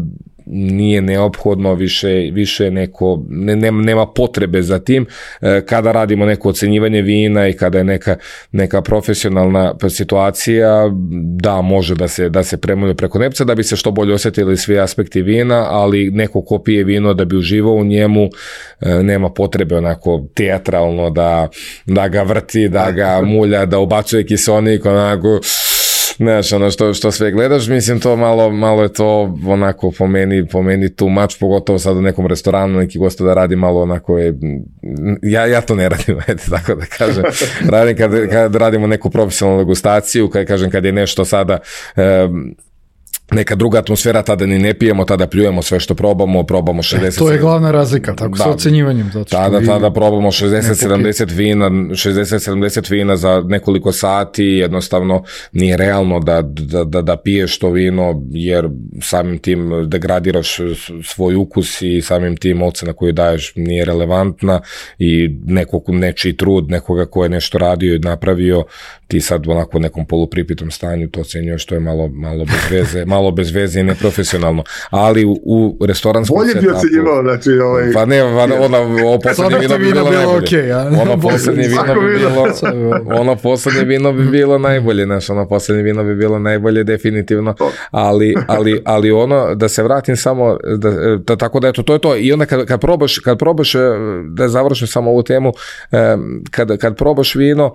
nije neophodno više, više neko, ne, nema potrebe za tim. Kada radimo neko ocenjivanje vina i kada je neka, neka profesionalna situacija, da, može da se, da se premulje preko nepca da bi se što bolje osjetili svi aspekti vina, ali neko ko pije vino da bi uživao u njemu, nema potrebe onako teatralno da, da ga vrti, da ga mulja, da ubacuje kiselnik, onako znaš, ono što, što sve gledaš, mislim to malo, malo je to onako po meni, po meni tu mač, pogotovo sad u nekom restoranu, neki gosto da radi malo onako je, ja, ja to ne radim, eti, tako da kažem, radim kad, kad radimo neku profesionalnu degustaciju, kad kažem kad je nešto sada, um, neka druga atmosfera, tada ni ne pijemo, tada pljujemo sve što probamo, probamo šezdeset... To je glavna razlika, tako da, sa ocenjivanjem. Zato što tada, tada probamo šezdeset sedamdeset vina, šezdeset sedamdeset vina za nekoliko sati, jednostavno nije realno da, da, da, da piješ to vino, jer samim tim degradiraš svoj ukus i samim tim ocena koju daješ nije relevantna i nekog, nečiji trud, nekoga ko je nešto radio i napravio, ti sad onako u nekom polupripitom stanju to ocenjuješ, što je malo, malo bez veze, malo bez veze i neprofesionalno, ali u, u restoranskom bolje setapu... Bolje bi ocenjivao, znači ovaj... Pa ne, ona, ovo poslednje vino bi bilo najbolje. Okay, ono poslednje vino bi bilo... ono poslednje vino bi bilo najbolje, znaš, ono poslednje vino bi bilo najbolje, definitivno, ali, ali, ali ono, da se vratim samo, da, da, tako da eto, to je to, i onda kad, kad probaš, kad probaš, da završim samo ovu temu, kad, kad probaš vino,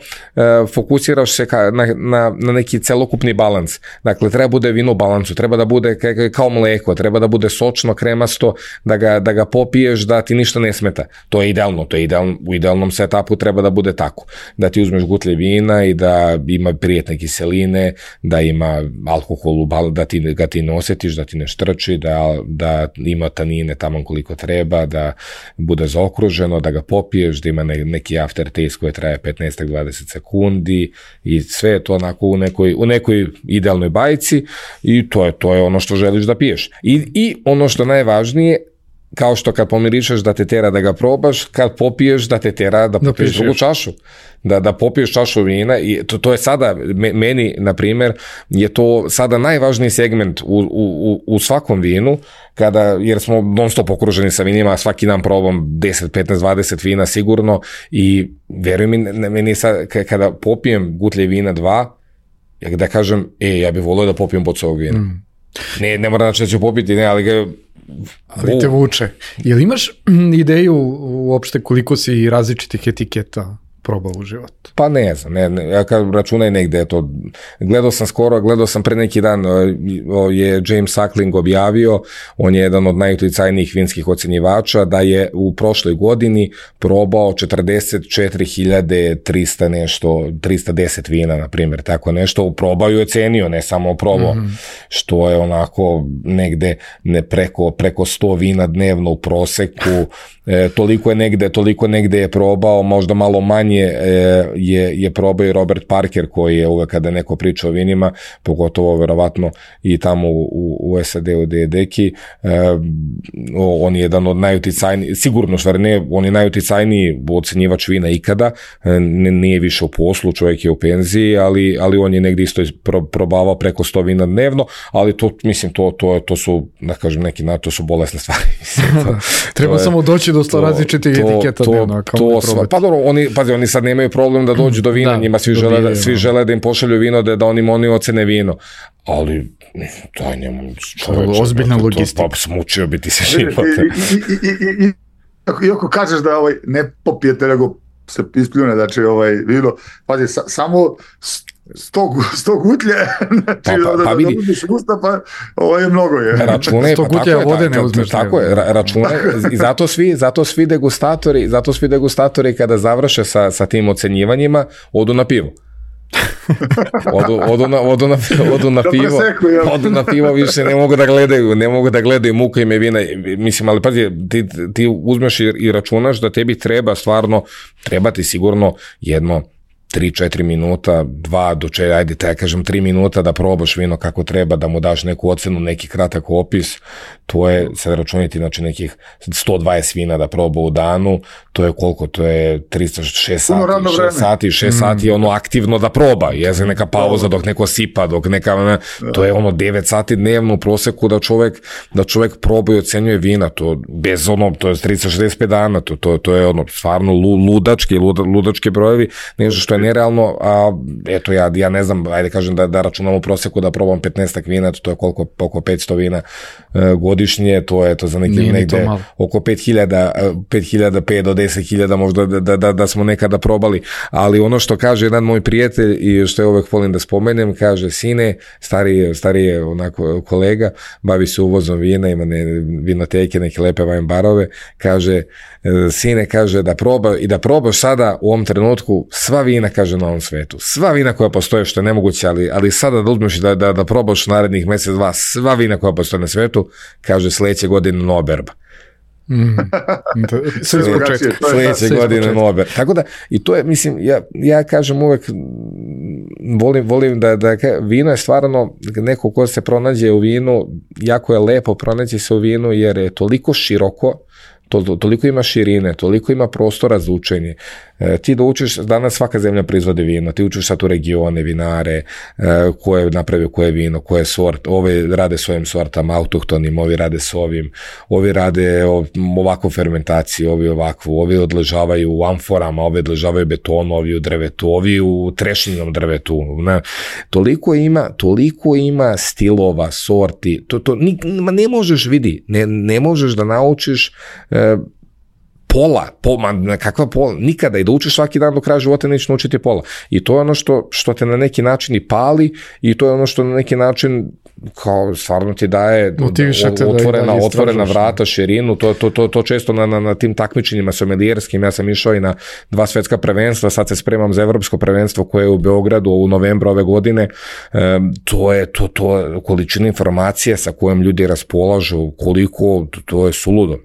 fokusiraš se ka, na, na, na neki celokupni balans, dakle, treba bude vino u balansu, treba da bude kao mleko, treba da bude sočno, kremasto, da ga, da ga popiješ, da ti ništa ne smeta. To je idealno, to je idealno, u idealnom setupu treba da bude tako. Da ti uzmeš gutlje vina i da ima prijetne kiseline, da ima alkohol, da ti ga ti ne osjetiš, da ti ne štrči, da, da ima tanine tamo koliko treba, da bude zaokruženo, da ga popiješ, da ima ne, neki aftertaste koji traje petnaest do dvadeset sekundi i sve je to onako u nekoj, u nekoj idealnoj bajci i to je, to je ono što želiš da piješ. I, i ono što najvažnije, kao što kad pomirišeš da te tera da ga probaš, kad popiješ da te tera da popiješ da drugu čašu. Da, da popiješ čašu vina i to, to je sada, meni, na primjer, je to sada najvažniji segment u, u, u svakom vinu, kada, jer smo non stop okruženi sa vinima, svaki dan probam deset, petnaest, dvadeset vina sigurno i veruj mi, meni sad, kada popijem gutlje vina dva, da kažem, e, ja bih volio da popijem bocu ovog vina. Mm. Ne, ne mora znači da ću popiti, ne, ali ga... Ali te vuče. Jel imaš ideju uopšte koliko si različitih etiketa probao u životu? Pa ne znam, ne, ne, ja kad računaj negde, to, gledao sam skoro, gledao sam pre neki dan, je James Suckling objavio, on je jedan od najuticajnijih vinskih ocenjivača, da je u prošloj godini probao četrdeset četiri hiljade trista nešto, trista deset vina, na primjer, tako nešto, probao i ocenio, ne samo probao, mm-hmm. što je onako negde ne preko, preko sto vina dnevno u proseku, e, toliko je negde, toliko negde je probao, možda malo manje pitanje je, je probao i Robert Parker, koji je uvek kada neko priča o vinima, pogotovo verovatno i tamo u, u S A D-u gde je Deki, on je jedan od najuticajnijih, sigurno stvar ne, on je najuticajniji ocenjivač vina ikada, nije više u poslu, čovjek je u penziji, ali, ali on je negdje isto pro, probavao preko sto vina dnevno, ali to, mislim, to, to, to su, da kažem, neki na to su bolesne stvari. Treba je, samo doći do sto različitih etiketa to, dnevno. To, sva, pa dobro, oni, pazi, oni sad nemaju problem da dođu do vina, da, njima svi žele, da, svi žele da im pošalju vino, da, da oni, oni ocene vino, ali daj njemu čoveče, ozbiljna logistika. Pa smučio bi ti se života. Iako kažeš da ovaj, ne popijete, nego se ispljune, znači ovaj vino, pazi, sa, samo sto, sto gutlje, znači pa, pa, pa, da, da budiš usta, pa ovo je mnogo je. Račune, sto pa gutlje vode ne uzmeš. Tako je, račune, i zato svi, zato svi degustatori, zato svi degustatori kada završe sa, sa tim ocenjivanjima, odu na pivo. odu, odu, na, odu, na, odu na pivo odu na pivo, više ne mogu da gledaju ne mogu da gledaju muka ime vina, mislim, ali pazi, ti, ti uzmeš i, i računaš da tebi treba stvarno, treba ti sigurno jedno tri četiri minuta, dva do četiri, ajde te ja kažem tri minuta da probaš vino kako treba, da mu daš neku ocenu, neki kratak opis, to je, sad računiti, znači nekih sto dvadeset vina da proba u danu, to je koliko, to je tristo šest sati, šest sati, šest sati, ono aktivno da proba, jeze neka pauza dok neko sipa, dok neka, ne, to je ono devet sati dnevno u proseku da čovek, da čovek proba i ocenjuje vina, to bez ono, to je tristo šezdeset pet dana, to, to, to je ono, stvarno ludački, luda, ludački brojevi, nešto što je nerealno, a eto ja, ja ne znam, ajde kažem da, da računam u proseku da probam petnaest vina, to je koliko, oko petsto vina uh, godišnje, to je to za neki Nije negde oko pet hiljada, pet hiljada, pet do deset hiljada možda da, da, da, da smo nekada probali, ali ono što kaže jedan moj prijatelj i što je uvek volim da spomenem, kaže, sine, stariji, stariji je onako kolega, bavi se uvozom vina, ima ne, vinoteke, neke lepe wine barove, kaže, sine, kaže da proba i da probaš sada u ovom trenutku sva vina, kaže, na ovom svetu. Sva vina koja postoje, što je nemoguće, ali, ali sada da uzmeš da, da, da probaš narednih mjesec, dva, sva vina koja postoje na svetu, kaže, sledeće godine noberba. Mm. Sledeće, sledeće godine nober. Tako da, i to je, mislim, ja, ja kažem uvek, volim, volim da, da vino je stvarno, neko ko se pronađe u vinu, jako je lepo pronaći se u vinu, jer je toliko široko, To, to, toliko ima širine, toliko ima prostora za učenje. E, ti da učiš, danas svaka zemlja proizvodi vino, ti učiš sad u regione, vinare, e, ko je napravio koje vino, koje sort, ovi rade s ovim sortama, autohtonim, ovi rade s ovim, ovi rade ovakvu fermentaciju, ovi ovakvu, ovi odležavaju u amforama, ovi odležavaju betonu, ovi u drvetu, ovi u trešinjenom drvetu. Ne. Toliko ima, toliko ima stilova, sorti, to, to, ni, ne možeš vidi, ne, ne možeš da naučiš pola, pola, kakva pola, nikada, i da učiš svaki dan do kraja života nećeš naučiti pola. I to je ono što, što te na neki način i pali, i to je ono što na neki način kao stvarno ti daje otvorena, da otvorena vrata, širinu, to, to, to, to često na, na, na tim takmičenjima somelijerskim, ja sam išao i na dva svetska prvenstva, sad se spremam za evropsko prvenstvo koje je u Beogradu u novembru ove godine, e, to je to, to količina informacije sa kojom ljudi raspolažu, koliko, to, to je suludo.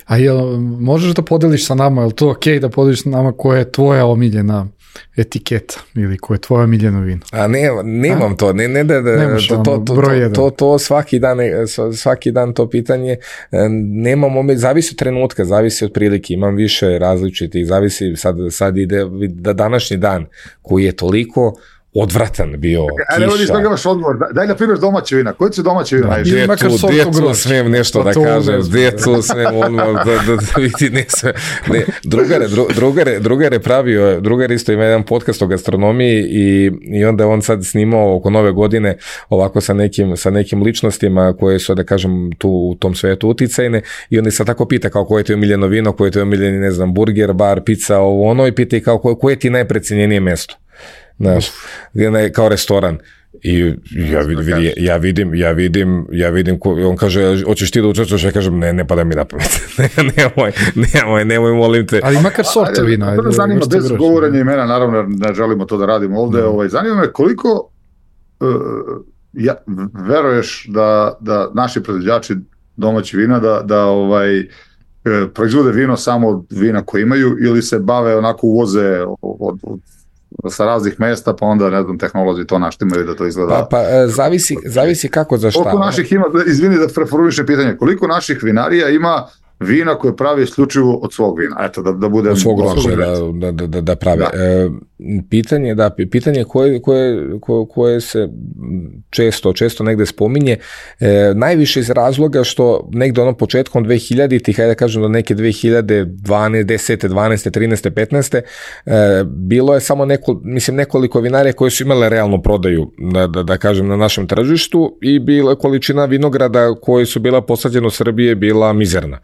A jel možeš da podeliš sa nama, je li to okej okay da podeliš sa nama koja je tvoja omiljena etiketa ili koja je tvoja omiljena vino? A ne, nemam A? to, ne, ne da, da to, to, to, to, to, to svaki dan, svaki dan to pitanje, nemam omiljena, zavisi od trenutka, zavisi od prilike, imam više različitih, zavisi, sad, sad ide da današnji dan koji je toliko odvratan bio, kiša. Ali ovdje imaš odgovor, daj na primjer domaće vina, koji će domaće vina? Djecu smijem nešto da kažem, djecu smijem odmah, da, da, da vidi, ne sve. Ne, drugare, dru, drugare, drugare pravio, drugar isto ima jedan podcast o gastronomiji i, i onda on sad snimao oko nove godine ovako sa nekim, sa nekim ličnostima koje su, da kažem, tu u tom svetu uticajne i on se tako pita kao koje ti je omiljeno vino, koje ti je omiljeni, ne znam, burger, bar, pizza, ovo ono, i pita i kao koje, koje ti je najprecenjenije mesto. Znaš, kao restoran. I ja vidim, ja vidim, ja vidim, ja vidim, on kaže, hoćeš ti da učestvuješ, ja kažem, ne, ne pada mi na pamet. nemoj, nemoj, nemoj, molim te. Ali makar sorte vina. Ajde, zanima, bez govorenja imena, naravno, ne želimo to da radimo ovde, mm. ovaj, zanima me koliko uh, ja, veruješ da, da naši proizvođači domaći vina, da, da ovaj, proizvode vino samo od vina koje imaju ili se bave onako uvoze od, od sa raznih mesta, pa onda, ne znam, tehnolozi to naštimaju da to izgleda. Pa, pa zavisi, zavisi kako za šta. Koliko naših ima, izvini da preformulišem pitanje, koliko naših vinarija ima vina koje pravi isključivo od svog vina? Eto, da, da bude... Od svog grožđa, da, da, da, da prave. Da. E, pitanje, da, pitanje koje, koje, koje se često, često negde spominje, e, najviše iz razloga što negde ono početkom dve hiljaditih, hajde da kažem do neke dve hiljade dvanaeste, desete, dvanaeste, trinaeste, petnaeste, e, bilo je samo neko, mislim, nekoliko vinarija koje su imale realnu prodaju, da, da, da kažem, na našem tržištu i bila količina vinograda koje su bila posađene u Srbiji bila mizerna.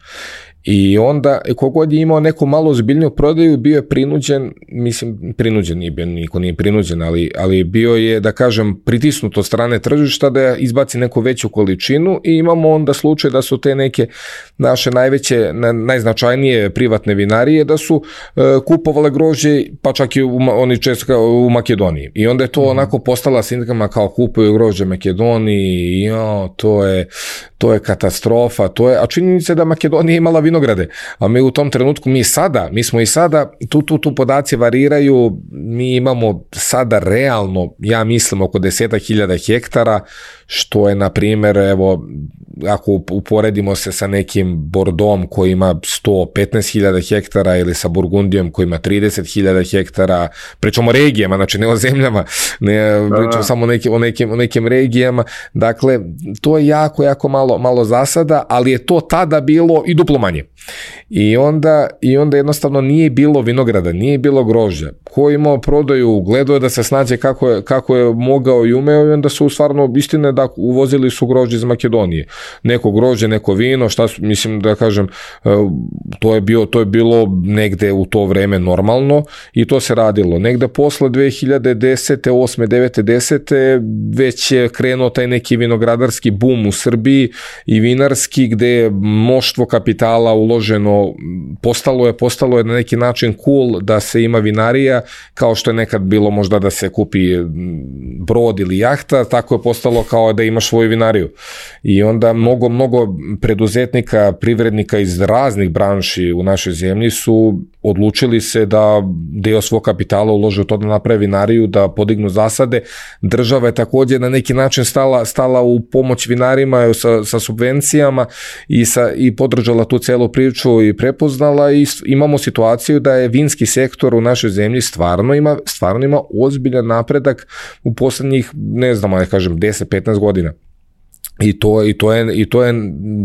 I onda, kogod je imao neku malo ozbiljniju prodaju, bio je prinuđen, mislim, prinuđen nije bio, niko nije prinuđen, ali, ali bio je, da kažem, pritisnut od strane tržišta da izbaci neku veću količinu i imamo onda slučaj da su te neke naše najveće, najznačajnije privatne vinarije, da su uh, kupovale grožđe, pa čak i u, oni često u Makedoniji. I onda je to mm-hmm. onako postala sindikama kao kupuju grožđe Makedoniji, i jo, to je, to je katastrofa, to je, a činjenica je da Makedonija imala vinograde, a mi u tom trenutku, mi sada, mi smo i sada, tu, tu, tu podaci variraju, mi imamo sada realno, ja mislim, oko desetak hiljada hektara, što je, na primjer, evo, ako uporedimo se sa nekim Bordom koji ima sto petnaest hiljada hektara ili sa Burgundijom koji ima trideset hiljada hektara, pričamo o regijama, znači ne o zemljama, ne pričamo samo o nekim, o, nekim, o nekim regijama, dakle, to je jako, jako malo, malo zasada, ali je to tada bilo i duplo manje. I onda, i onda jednostavno nije bilo vinograda, nije bilo grožđa. Ko je imao prodaju, gledao je da se snađe kako je, kako je mogao i umeo, i onda su stvarno, istine da uvozili su grožđe iz Makedonije. Neko grožđe, neko vino, šta su, mislim da kažem, to je, bio, to je bilo negde u to vreme normalno i to se radilo. Negde posle dve hiljade desete, osme, devete, desete već je krenuo taj neki vinogradarski bum u Srbiji i vinarski, gde je mnoštvo kapitala uloženo, postalo je, postalo je na neki način cool da se ima vinarija, kao što je nekad bilo možda da se kupi brod ili jahta, tako je postalo kao da imaš svoju vinariju. I onda mnogo, mnogo preduzetnika, privrednika iz raznih branši u našoj zemlji su odlučili se da deo svog kapitala ulože u to da naprave vinariju, da podignu zasade. Država je također na neki način stala, stala u pomoć vinarima sa, sa subvencijama i, sa, i podržala tu celu priču i prepoznala, i imamo situaciju da je vinski sektor u našoj zemlji stvarno ima, stvarno ima ozbiljan napredak u poslednjih, ne znam, ja kažem, deset petnaest godina. I to, i to je, i to je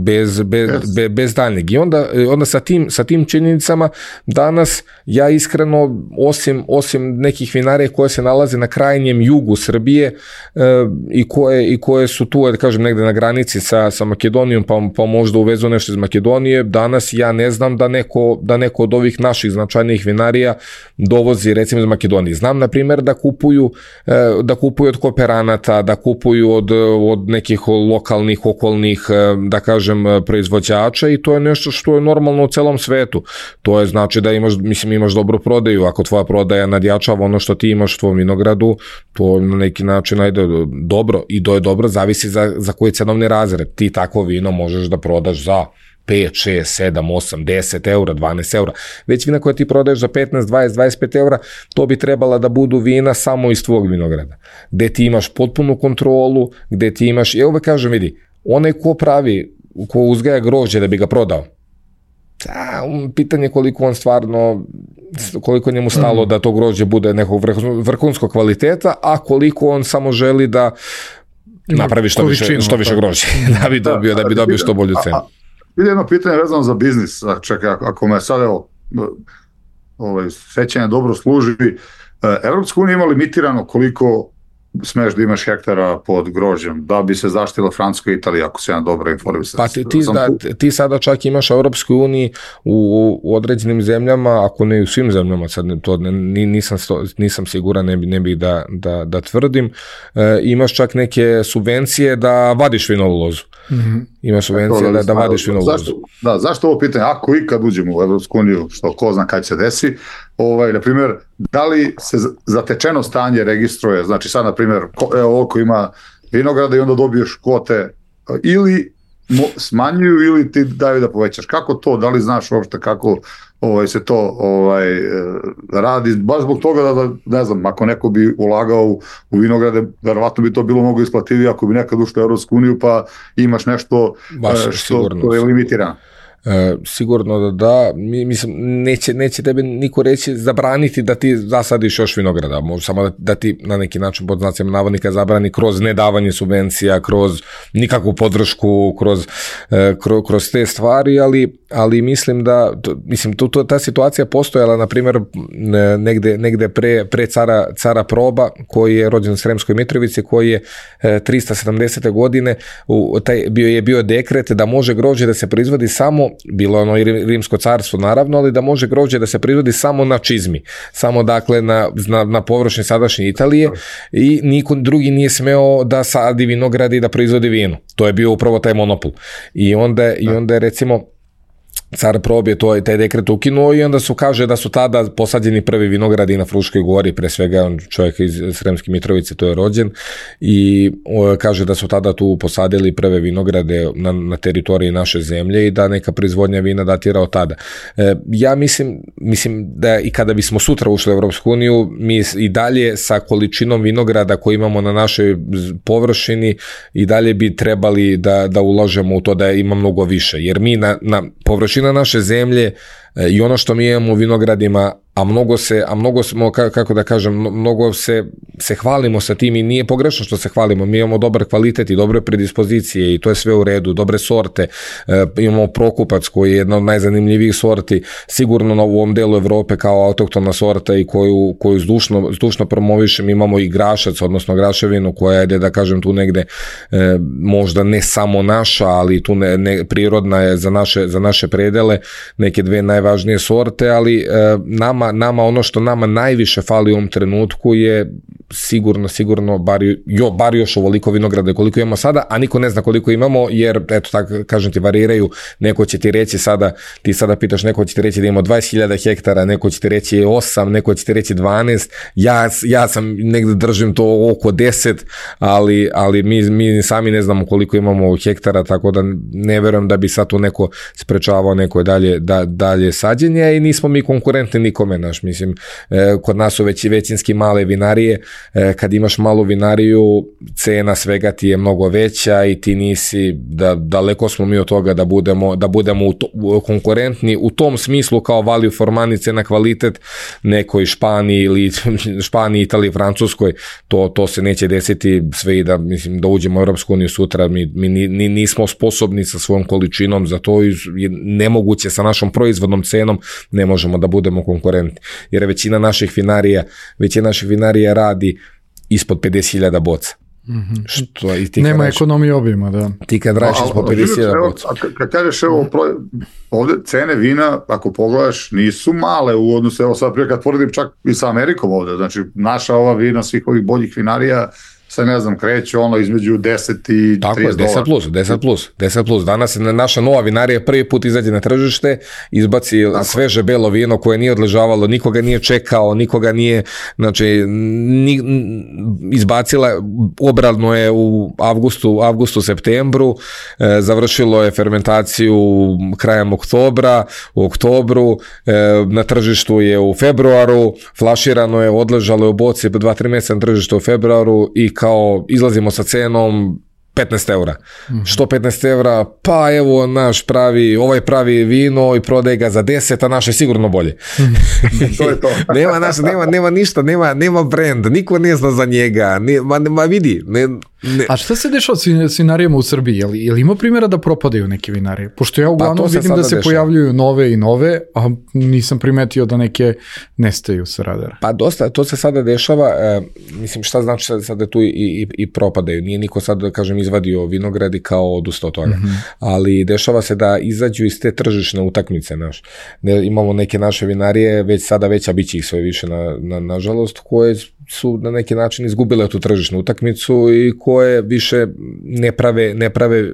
bez, bez, yes. bez, bez daljnjeg. I onda, onda sa, tim, sa tim činjenicama danas ja iskreno, osim, osim nekih vinarija koje se nalaze na krajnjem jugu Srbije e, i, koje, i koje su tu, da kažem, negde na granici sa, sa Makedonijom, pa, pa možda uvezu nešto iz Makedonije, danas ja ne znam da neko, da neko od ovih naših značajnijih vinarija dovozi recimo iz Makedonije. Znam, na primjer, da kupuju, e, da kupuju od kooperanata, da kupuju od, od nekih lokalnih, okolnih, da kažem, proizvođača, i to je nešto što je normalno u celom svetu. To je znači da imaš, mislim, imaš dobru prodaju. Ako tvoja prodaja nadjačava ono što ti imaš u tvojom vinogradu, to na neki način ajde dobro, i to je dobro, zavisi za, za koji cenovni razred. Ti takvo vino možeš da prodaš za pet, šest, sedam, osam, deset eura, dvanaest eura. Već vina koja ti prodaješ za petnaest, dvadeset, dvadeset pet eura, to bi trebala da budu vina samo iz tvog vinograda. Gde ti imaš potpunu kontrolu, gde ti imaš, ja uvek kažem, vidi, onaj ko pravi, ko uzgaja grožđe da bi ga prodao, da, pitanje koliko on stvarno, koliko njemu stalo da to grožđe bude nekog vrhunskog kvaliteta, a koliko on samo želi da napravi što više, što više grožđe, da bi dobio, da bi dobio što bolju cenu. Ide jedno pitanje vezano za biznis, čekaj, ako me sad, evo, ovaj, sećanje dobro služi, Evropska unija ima limitirano koliko smeš da imaš hektara pod grožđem, da bi se zaštila Francuska i Italija, ako se ja dobro informisam. Pa ti, ti, da, ti sada čak imaš u Evropskoj uniji u, u određenim zemljama, ako ne u svim zemljama, sad to nisam, nisam siguran, ne bi, ne bi da, da, da tvrdim, e, imaš čak neke subvencije da vadiš vinovu lozu. Mm-hmm. Imaš subvencije da, da vadiš vinovu lozu. Da, zašto ovo pitanje? Ako i kad uđemo u Evropsku uniju, što ko zna kad se desi, ovaj, na primjer, da li se zatečeno stanje registruje, znači sad, na primjer, evo, oko ima vinograda i onda dobiješ kvote, ili smanjuju ili ti daju da povećaš? Kako to, da li znaš uopšte kako ovaj, se to ovaj, radi? Baš zbog toga da, da, ne znam, ako neko bi ulagao u, u vinograde, verovatno bi to bilo mnogo isplativije ako bi nekad ušao u Evropsku uniju pa imaš nešto baš, što, što je limitirano. E, sigurno da da, mi, mislim, neće, neće tebe niko reći zabraniti da ti zasadiš još vinograda, može samo da, da ti na neki način pod znacima navodnika zabrani kroz nedavanje subvencija, kroz nikakvu podršku, kroz, e, kroz, kroz te stvari, ali, ali mislim da, to, mislim, tu, tu, ta situacija postojala, na primjer, negde, negde pre, pre cara, cara Proba, koji je rođen u Sremskoj Mitrovici, koji je e, tristo sedamdesete godine, u, taj, bio je bio dekret da može grožđe da se proizvodi samo, bilo ono i Rimsko carstvo naravno, ali da može grožđe da se proizvodi samo na čizmi, samo dakle na, na, na površini sadašnje Italije i niko drugi nije smeo da sadi vinogradi i da proizvodi vino. To je bio upravo taj monopol. I onda, i onda je recimo car Prob je to, taj dekret ukinuo i onda su kaže da su tada posađeni prvi vinogradi na Fruškoj gori, pre svega on čovjek iz Sremske Mitrovice, to je rođen, i o, kaže da su tada tu posadili prve vinograde na, na teritoriji naše zemlje i da neka proizvodnja vina datira od tada. E, ja mislim, mislim da i kada bismo sutra ušli u Evropsku uniju, mi i dalje sa količinom vinograda koju imamo na našoj površini i dalje bi trebali da, da ulažemo u to da ima mnogo više, jer mi na, na površini na naše zemlje i ono što mi imamo u vinogradima, a mnogo se, a mnogo smo, kako da kažem, mnogo se, se hvalimo sa tim i nije pogrešno što se hvalimo, mi imamo dobar kvalitet i dobre predispozicije i to je sve u redu, dobre sorte, e, imamo Prokupac koji je jedna od najzanimljivijih sorti, sigurno na ovom delu Evrope kao autoktona sorta i koju, koju zdušno, zdušno promovišem, imamo i Grašac, odnosno Graševinu koja je, da kažem, tu negde e, možda ne samo naša, ali tu ne, ne, prirodna je za naše, za naše predele, neke dve najvažnije sorte, ali e, nama nama ono što nama najviše fali u ovom trenutku je sigurno, sigurno bar, jo, bar još ovoliko vinograda koliko imamo sada, a niko ne zna koliko imamo, jer eto tako kažem ti variraju, neko će ti reći sada, ti sada pitaš, neko će ti reći da imamo dvadeset hiljada hektara, neko će ti reći osam, neko će ti reći dvanaest, ja, ja sam negde držim to oko deset, ali, ali mi, mi sami ne znamo koliko imamo hektara, tako da ne verujem da bi sad tu neko sprečavao neko dalje, da, dalje sađenje i nismo mi konkurentni nikome, naš, mislim, eh, kod nas su već većinski male vinarije, eh, kad imaš malu vinariju, cena svega ti je mnogo veća i ti nisi, da, daleko smo mi od toga da budemo, da budemo u to, u, konkurentni u tom smislu kao value for money, cena kvalitet nekoj Španiji ili Španiji, Italiji, Francuskoj, to, to se neće desiti sve i da, mislim, da uđemo u Europsku uniju sutra, mi, mi ni, nismo sposobni sa svojom količinom za to i nemoguće sa našom proizvodnom cenom ne možemo da budemo konkurentni, jer većina naših vinarija, većina naših vinarija radi ispod pedeset hiljada boca. Mm-hmm. Što, i ti nema ekonomije obima, da. Ti kad radiš ispod pedeset hiljada boca. Kad kažeš, evo, ovde cene vina, ako pogledaš, nisu male u odnosu, evo sad prije kad poredim čak i sa Amerikom ovde, znači naša ova vina svih ovih boljih vinarija se ne znam, kreće ono između deset i tako trideset dolara. Tako je, deset plus, deset plus, deset plus. Danas naša nova vinarija prvi put izađe na tržište, izbaci tako sveže belo vino koje nije odležavalo, nikoga nije čekao, nikoga nije, znači, ni, izbacila, obrano je u avgustu, avgustu, septembru, e, završilo je fermentaciju krajem oktobra, u oktobru, e, na tržištu je u februaru, flaširano je, odležalo je u boci dva tri mjeseca na tržištu u februaru i kao izlazimo sa cenom petnaest eura. Mm-hmm. Što petnaest eura? Pa evo naš pravi, ovaj pravi vino i prodaje ga za deset, a naš je sigurno bolje. To je to. nema, naš, nema, nema ništa, nema, nema brand, niko ne zna za njega, ne, ma, ma vidi. Ne, ne. A šta se dešava s vinarijama u Srbiji? Je li, je li ima primjera da propadaju neke vinarije? Pošto ja uglavnom pa vidim da se dešava. Pojavljuju nove i nove, a nisam primetio da neke nestaju sa radara. Pa dosta, to se sada dešava, e, mislim šta znači sada, sada tu i, i, i propadaju. Nije niko sad, da kažem, izvadio vinogradi kao odustao od toga. Mm-hmm. Ali dešava se da izađu iz te tržišne utakmice naš. Ne, imamo neke naše vinarije, već sada veća biće ih sve više na, na, nažalost, koje su na neki način izgubile tu tržišnu utakmicu i koje više ne prave, ne prave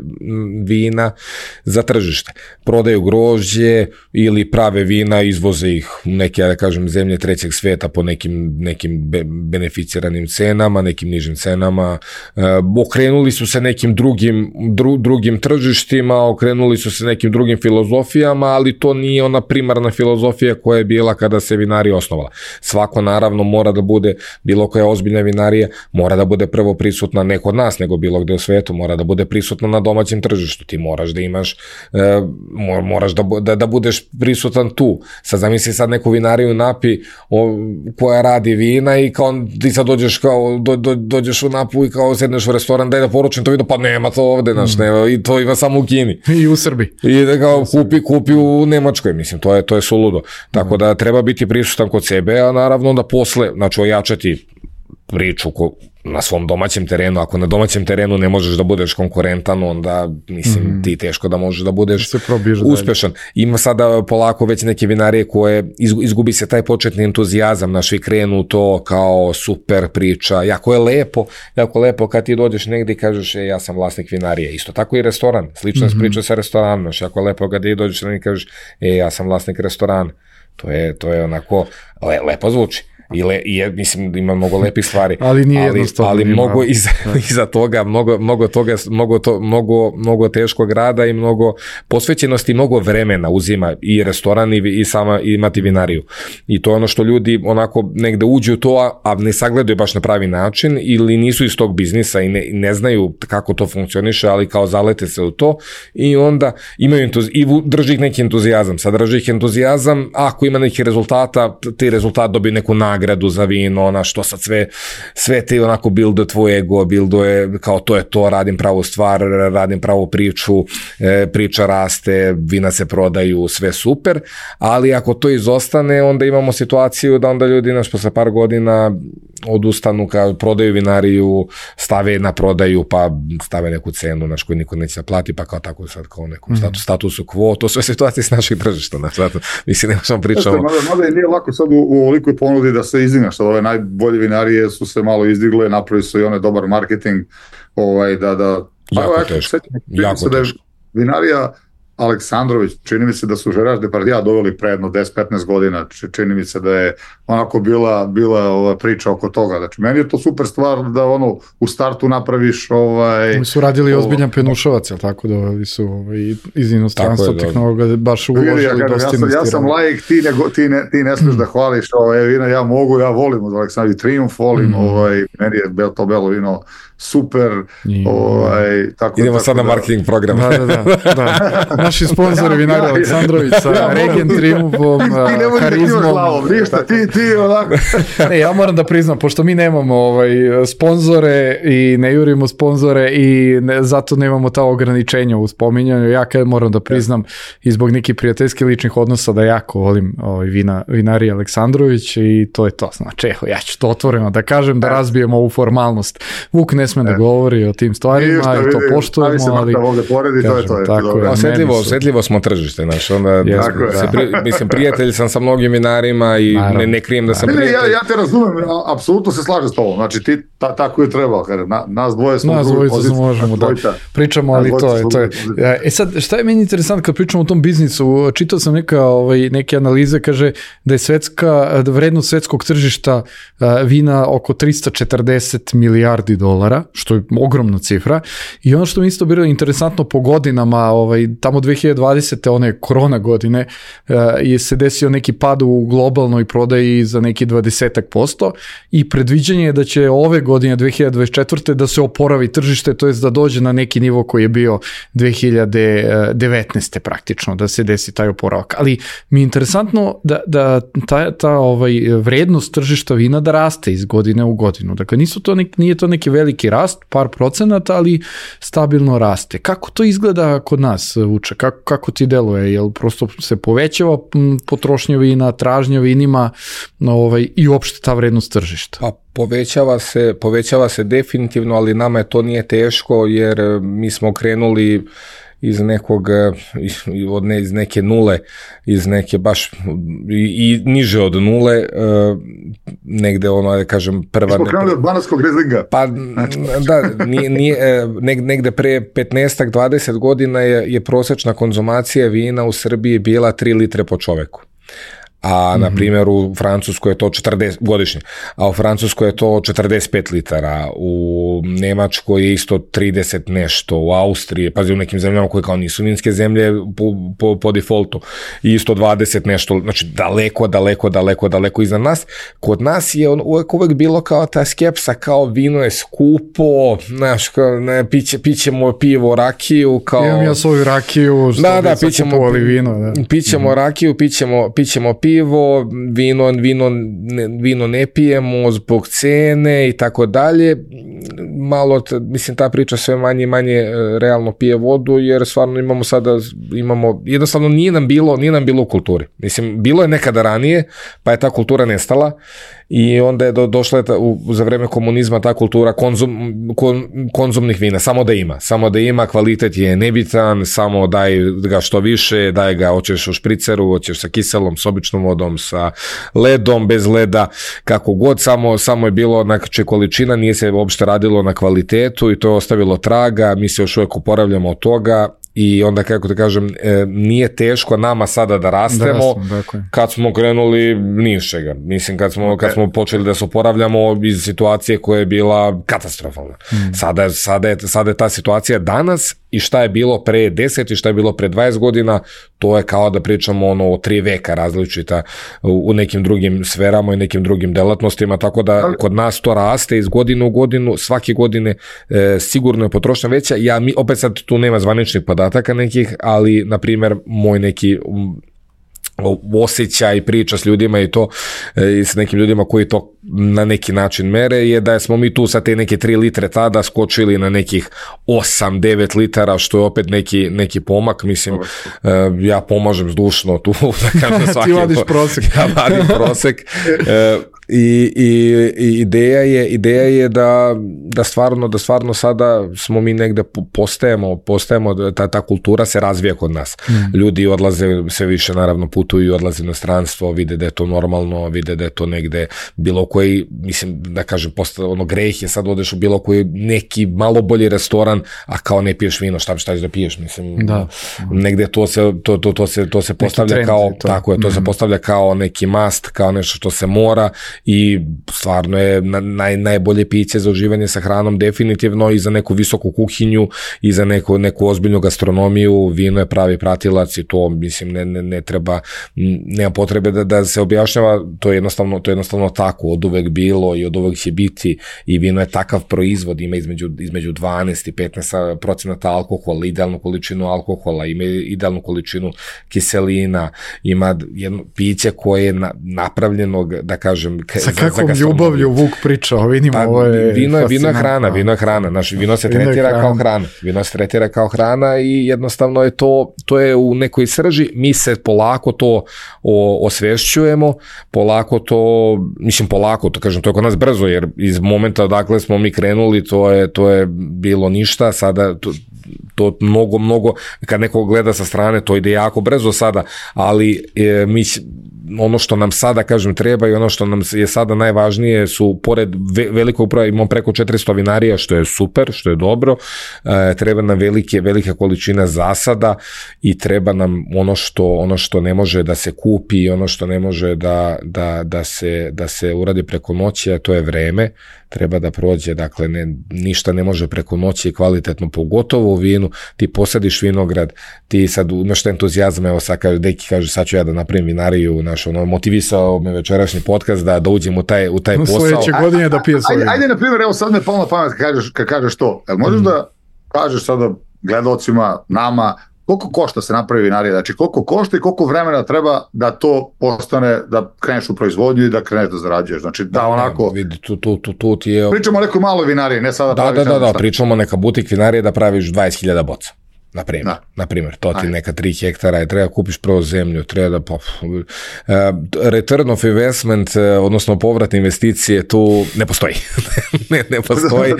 vina za tržište. Prodaju grožđe ili prave vina, izvoze ih u neke, da kažem, zemlje trećeg svijeta po nekim, nekim be, beneficiranim cenama, nekim nižim cenama. E, okrenuli su se nekim drugim, dru, drugim tržištima, okrenuli su se nekim drugim filozofijama, ali to nije ona primarna filozofija koja je bila kada se vinarija osnovala. Svako naravno mora da bude, bilo koja ozbiljna vinarija, mora da bude prvo prisutna ne kod nas, nego bilo gde u svetu, mora da bude prisutna na domaćem tržištu. Ti moraš da imaš, e, moraš da, da, da budeš prisutan tu. Sad zamisli sad neku vinariju napi o, koja radi vina i kao ti sad dođeš, kao, do, do, dođeš u Napu i kao sedneš u restoran, daj da poručim to vino, pa nema to ovde, znaš, nema, i to ima samo u Kini. I u Srbiji. I da kao kupi, kupi u Nemačkoj, mislim, to je, to je suludo. Tako da treba biti prisutan kod sebe, a naravno da posle, znači ojačati priču ko, na svom domaćem terenu. Ako na domaćem terenu ne možeš da budeš konkurentan, onda mislim mm. ti teško da možeš da budeš uspešan. Dalje. Ima sada polako već neke vinarije koje izgubi se taj početni entuzijazam, naši krenu to kao super priča, jako je lepo, jako lepo kad ti dođeš negdje i kažeš e, ja sam vlasnik vinarije. Isto tako i restoran, slično mm-hmm. priča sa restoranom, jako je lepo kad ti dođeš negdje i kažeš e, ja sam vlasnik restorana. To je, to je onako, le, lepo zvuči. I, le, i mislim ima mnogo lepih stvari, ali nije ali, ali mnogo iza, iza toga mnogo, mnogo toga mnogo, to, mnogo, mnogo teškog rada i mnogo posvećenosti, mnogo vremena uzima i restoran i, i sama imati vinariju. I to je ono što ljudi onako negde uđu u to, a ne sagledaju baš na pravi način ili nisu iz tog biznisa i ne, ne znaju kako to funkcioniše, ali kao zalete se u to i onda imaju entuz, i drži ih neki entuzijazam. Sad drži ih entuzijazam, ako ima neki rezultata, ti rezultat dobiju neku nagradu za vino, ona što sad sve, sve ti onako builduje tvoj ego, builduje kao to je to, radim pravu stvar, radim pravu priču, e, priča raste, vina se prodaju, sve super, ali ako to izostane, onda imamo situaciju da onda ljudi naš posle par godina odustanu, kao prodaju vinariju, stave na prodaju, pa stave neku cenu naš koju niko neće da plati, pa kao tako sad kao nekom mm. status, statusu quo, to sve situacije s naših tržišta, naš, zato, mislim, nema što pričamo. Mada, mada nije lako sad u, u ovolikoj ponudi da se izdigne, što ove najbolje vinarije su se malo izdigle, napravili su i one dobar marketing, ovaj, da, da, jako pa, teško, jako teško. Vinarija Aleksandrović, čini mi se da su Gerard Depardieu doveli pre jedno deset petnaest godina, čini mi se da je onako bila, bila ova priča oko toga. Znači, meni je to super stvar da ono u startu napraviš ovaj... Oni su radili ovo, ozbiljan penušovac, jel tako, da ovi su ovaj, iz inostranstva tehnologa baš uložili ja, dosta investirali. Ja sam laik, ti ne, ti ne, ti ne smiješ mm. da hvališ ovaj, vino, ja mogu, ja volim od Aleksandrović, Triumf volim, mm. ovaj, meni je to belo vino super. I, ovaj, tako, idemo tako sad na da, marketing program. Da, da, da. da. Naši sponzori vinarija Aleksandrović sa ja, Regen Triumfom, Harizmom. Ništa, ti, ti onako. Ne, ja moram da priznam, pošto mi nemamo ovaj, sponzore i ne jurimo sponzore i ne, zato nemamo ta ograničenja u spominjanju, ja kad moram da priznam i zbog nekih prijateljskih ličnih odnosa da jako volim ovaj, vina, vinarija Aleksandrović i to je to. Znači, eho, ja ću to otvoreno da kažem, da razbijemo ovu formalnost. Vuk ne sme da govori o tim stvarima i to poštujemo, ali osjetljivo smo tržište, znaš, onda yes, se pri, mislim, prijatelj sam sa mnogim vinarima i ne, ne krijem da sam ne, prijatelj. Ne, ja, ja te razumem, apsolutno se slažem s tobom, znači ti ta, tako je trebao, na, nas dvoje smo nas dvojica se možemo da pričamo, ali to je, to je. E sad, šta je meni interesantno kad pričamo o tom biznisu, čitao sam neka, ovaj, neke analize, kaže da je svetska, da vrednost svetskog tržišta vina oko tristo četrdeset milijardi dolara, što je ogromna cifra, i ono što mi isto bilo interesantno po godinama, ovaj, tamo dve hiljade dvadesete one korona godine, uh, je se desio neki pad u globalnoj prodaji za neki dvadeset posto i predviđanje je da će ove godine dve hiljade dvadeset četvrte da se oporavi tržište, to jest da dođe na neki nivo koji je bio dve hiljade devetnaeste praktično, da se desi taj oporavak. Ali mi je interesantno da, da ta, ta ovaj, vrednost tržišta vina da raste iz godine u godinu. Dakle, nisu to nek, nije to neki veliki rast, par procenata, ali stabilno raste. Kako to izgleda kod nas, Vuče? Kako, kako ti deluje? Jel prosto se povećava potrošnja vina, tražnja vinima ovaj, i uopšte ta vrednost tržišta? Pa povećava se, povećava se definitivno, ali nama je to nije teško jer mi smo krenuli iz nekog, od ne, iz neke nule, iz neke baš i, i niže od nule, negde ono, da kažem, prva... Smo krenuli od banatskog Rizlinga. Pa, da, nije, nije, negde pre petnaest dvadeset godina je, je prosječna konzumacija vina u Srbiji bila tri litre po čoveku. A, na primjer, u Francuskoj je to četrdeset godišnje, a u Francuskoj je to četrdeset pet litara, u Nemačkoj je isto trideset nešto, u Austriji, pazi, u nekim zemljama koje kao nisu vinske zemlje po, po, po defaultu, isto dvadeset nešto, znači daleko, daleko, daleko, daleko iza nas. Kod nas je uvek, uvek bilo kao ta skepsa, kao vino je skupo, znaš, kao, ne, piće, pićemo pivo, rakiju, kao... Imam ja svoju rakiju, što da, da, pićemo, vino, da. pićemo mm-hmm. rakiju, pićemo, pićemo pivo, vino, vino, ne, vino ne pijemo zbog cene i tako dalje. Malo, mislim, ta priča sve manje i manje realno pije vodu, jer stvarno imamo sada, imamo, jednostavno nije nam bilo, nije nam bilo u kulturi. Mislim, bilo je nekada ranije, pa je ta kultura nestala i onda je do, došla je ta, u, za vreme komunizma ta kultura konzum, kon, konzumnih vina, samo da ima, samo da ima, kvalitet je nebitan, samo daj ga što više, daj ga, hoćeš u špriceru, hoćeš sa kiselom, s običnom vodom, sa ledom, bez leda, kako god, samo, samo je bilo, znači količina, nije se uopšte radilo na kvalitetu i to je ostavilo traga, mi se još uvijek oporavljamo od toga. I onda, kako te kažem, e, nije teško nama sada da rastemo, da rastem, kad smo krenuli nišega. Mislim, kad smo, kad smo počeli da se oporavljamo iz situacije koja je bila katastrofalna. Mm. Sada, sada, je, sada je ta situacija danas i šta je bilo pre deset i šta je bilo pre dvadeset godina, to je kao da pričamo ono o tri veka različita u, u nekim drugim sferama i nekim drugim delatnostima, tako da kod nas to raste iz godine u godinu, svake godine e, sigurno je potrošnja veća. Ja, mi, opet sad tu nema zvaničnih podataka nekih, ali na primjer moj neki osjećaj, priča s ljudima i to i s nekim ljudima koji to na neki način mere je da smo mi tu sa te neke tri litre tada skočili na nekih osam devet litara, što je opet neki, neki pomak. Mislim, ja pomažem zdušno tu da kažem svaki. Ti vadiš prosek. Ja vadim prosek. I, i, i ideja je ideja je da, da stvarno da stvarno sada smo mi negde postajemo postajemo ta, ta kultura se razvija kod nas. Mm. Ljudi odlaze sve više, naravno putuju, odlaze na stranstvo, vide da je to normalno, vide da je to negde bilo koji, mislim da kažem, posta, ono greh je sad odeš u bilo koji neki malo bolji restoran, a kao ne piješ vino, šta šta ćeš da piješ, mislim. Da. Negde to se to to to se to se postavlja kao to. Tako je, to mm. se postavlja kao neki must, kao nešto što se mora. I stvarno je naj, najbolje piće za uživanje sa hranom definitivno i za neku visoku kuhinju i za neku, neku ozbiljnu gastronomiju. Vino je pravi pratilac i to, mislim, ne, ne, ne treba, nema potrebe da, da se objašnjava, to je jednostavno, to je jednostavno tako, od uvek bilo i od uvek će biti i vino je takav proizvod, ima između, između dvanaest i petnaest procenata alkohola, idealnu količinu alkohola, ima idealnu količinu kiselina, ima jedno piće koje je na, napravljeno, da kažem, sa kakvom ljubavlju Vuk priča o vinima, pa, ovo je vino je, vino je hrana, vino je hrana, naš vino se vino tretira kao hrana, vino se tretira kao hrana i jednostavno je to, to je u nekoj srži, mi se polako to o, osvešćujemo, polako to, mislim polako, to kažem, to je kod nas brzo, jer iz momenta odakle smo mi krenuli, to je, to je bilo ništa, sada to, to mnogo, mnogo, kad neko gleda sa strane, to ide jako brzo sada, ali e, mi ono što nam sada, kažem, treba i ono što nam je sada najvažnije su, pored ve, velikog broja, imamo preko četiristo vinarija, što je super, što je dobro, e, treba nam velike, velika količina zasada i treba nam ono što, ono što ne može da se kupi i ono što ne može da, da, da, se, da se uradi preko noći, a to je vreme, treba da prođe, dakle, ne, ništa ne može preko noći kvalitetno, pogotovo u vinu, ti posadiš vinograd, ti sad imaš entuzijazam, evo sad kaže, deki kaže, sad ću ja da napravim vinariju, naš, ono, motivisao me večerašnji podcast da, da uđem u taj, u taj posao. Sljedeće godine da pije svoj. Ajde, ajde, na primjer, evo sad me palo na pamet kad kažeš, kad kažeš to, jel možeš mm. da kažeš sada gledalcima, nama, koliko košta se napravi vinarija, znači koliko košta i koliko vremena treba da to postane, da kreneš u proizvodnju i da kreneš da zarađuješ, znači da, da onako... Vidi, tu, tu, tu, tu je... Pričamo o nekoj maloj vinariji, ne sada da, praviš... Da, da, da, da, pričamo o neka butik vinarije da praviš dvadeset hiljada boca. na primjer, na primjer, to ti neka tri hektara i treba kupiš prvo zemlju, treba da pa, uh, return of investment, uh, odnosno povrat investicije tu ne postoji. ne, ne postoji.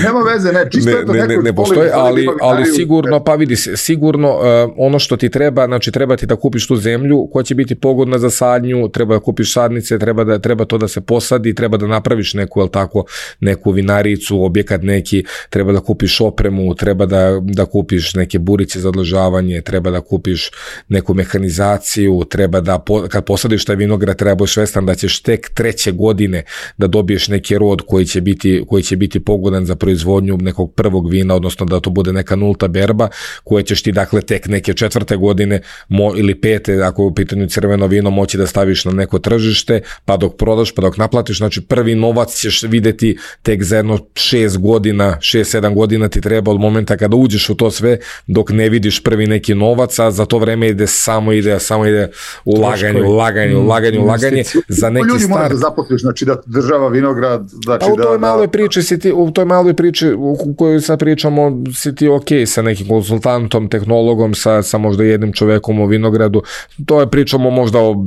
Nema veze, ne, čisto ne, ne, ne, ne postoji, ali, ali sigurno, pa vidi, sigurno uh, ono što ti treba, znači treba ti da kupiš tu zemlju koja će biti pogodna za sadnju, treba da kupiš sadnice, treba, da, treba to da se posadi, treba da napraviš neku, jel tako, neku vinaricu, objekat neki, treba da kupiš opremu, treba da, da kupiš neke burice za odložavanje, treba da kupiš neku mehanizaciju, treba da, kad posadiš taj vinograd, treba budeš svestan da ćeš tek treće godine da dobiješ neki rod koji će biti, koji će biti pogodan za proizvodnju nekog prvog vina, odnosno da to bude neka nulta berba, koje ćeš ti dakle tek neke četvrte godine mo, ili pete, ako je u pitanju crveno vino, moći da staviš na neko tržište, pa dok prodaš, pa dok naplatiš, znači prvi novac ćeš videti tek za jedno šest godina, šest, sedam godina ti treba od momenta kada uđeš u to sve, dok ne vidiš prvi neki novac, a za to vreme ide samo ide, samo ide ulaganje, ulaganje, ulaganje, ulaganje, za neki start. Ljudi mora da zaposliš, znači da država vinograd, znači a u toj maloj priči si ti, u toj maloj priči u kojoj sad pričamo, si ti ok sa nekim konsultantom, tehnologom, sa, sa možda jednim čovekom u vinogradu, to je pričamo možda o,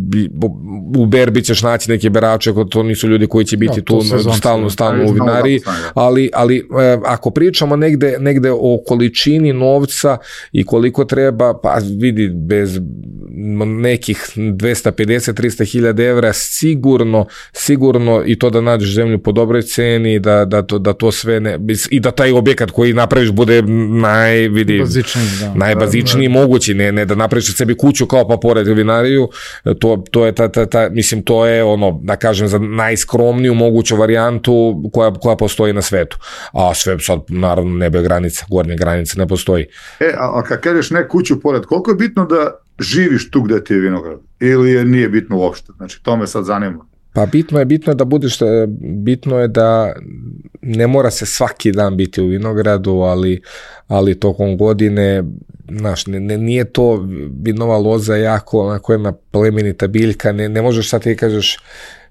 u berbi ćeš naći neke berače, to nisu ljudi koji će biti no, tu stalno, stalno u vinariji, ali, ali ako pričamo negde, negde o količini novca i koliko treba, pa vidi, bez nekih dvesta pedeset do trista hiljada evra sigurno, sigurno i to da nađeš zemlju po dobroj ceni, da, da, to, da to sve ne, i da taj objekat koji napraviš bude naj, vidi, da, najbazičniji da, da. mogući, ne, ne da napraviš sebi kuću kao pa pored vinariju, to, to je ta, ta, ta, mislim, to je ono, da kažem, za najskromniju moguću varijantu koja, koja postoji na svetu. A sve sad, naravno, nebe granica, gornje granice ne postoji. E, a, a kad kažeš ne kuću pored, koliko je bitno da živiš tu gde ti je vinograd? Ili je, nije bitno uopšte? Znači, to me sad zanima. Pa bitno je, bitno je da budeš, bitno je da ne mora se svaki dan biti u vinogradu, ali, ali tokom godine, znaš, ne, ne, nije to vinova loza jako, onako jedna plemenita biljka, ne, ne možeš sad ti kažeš,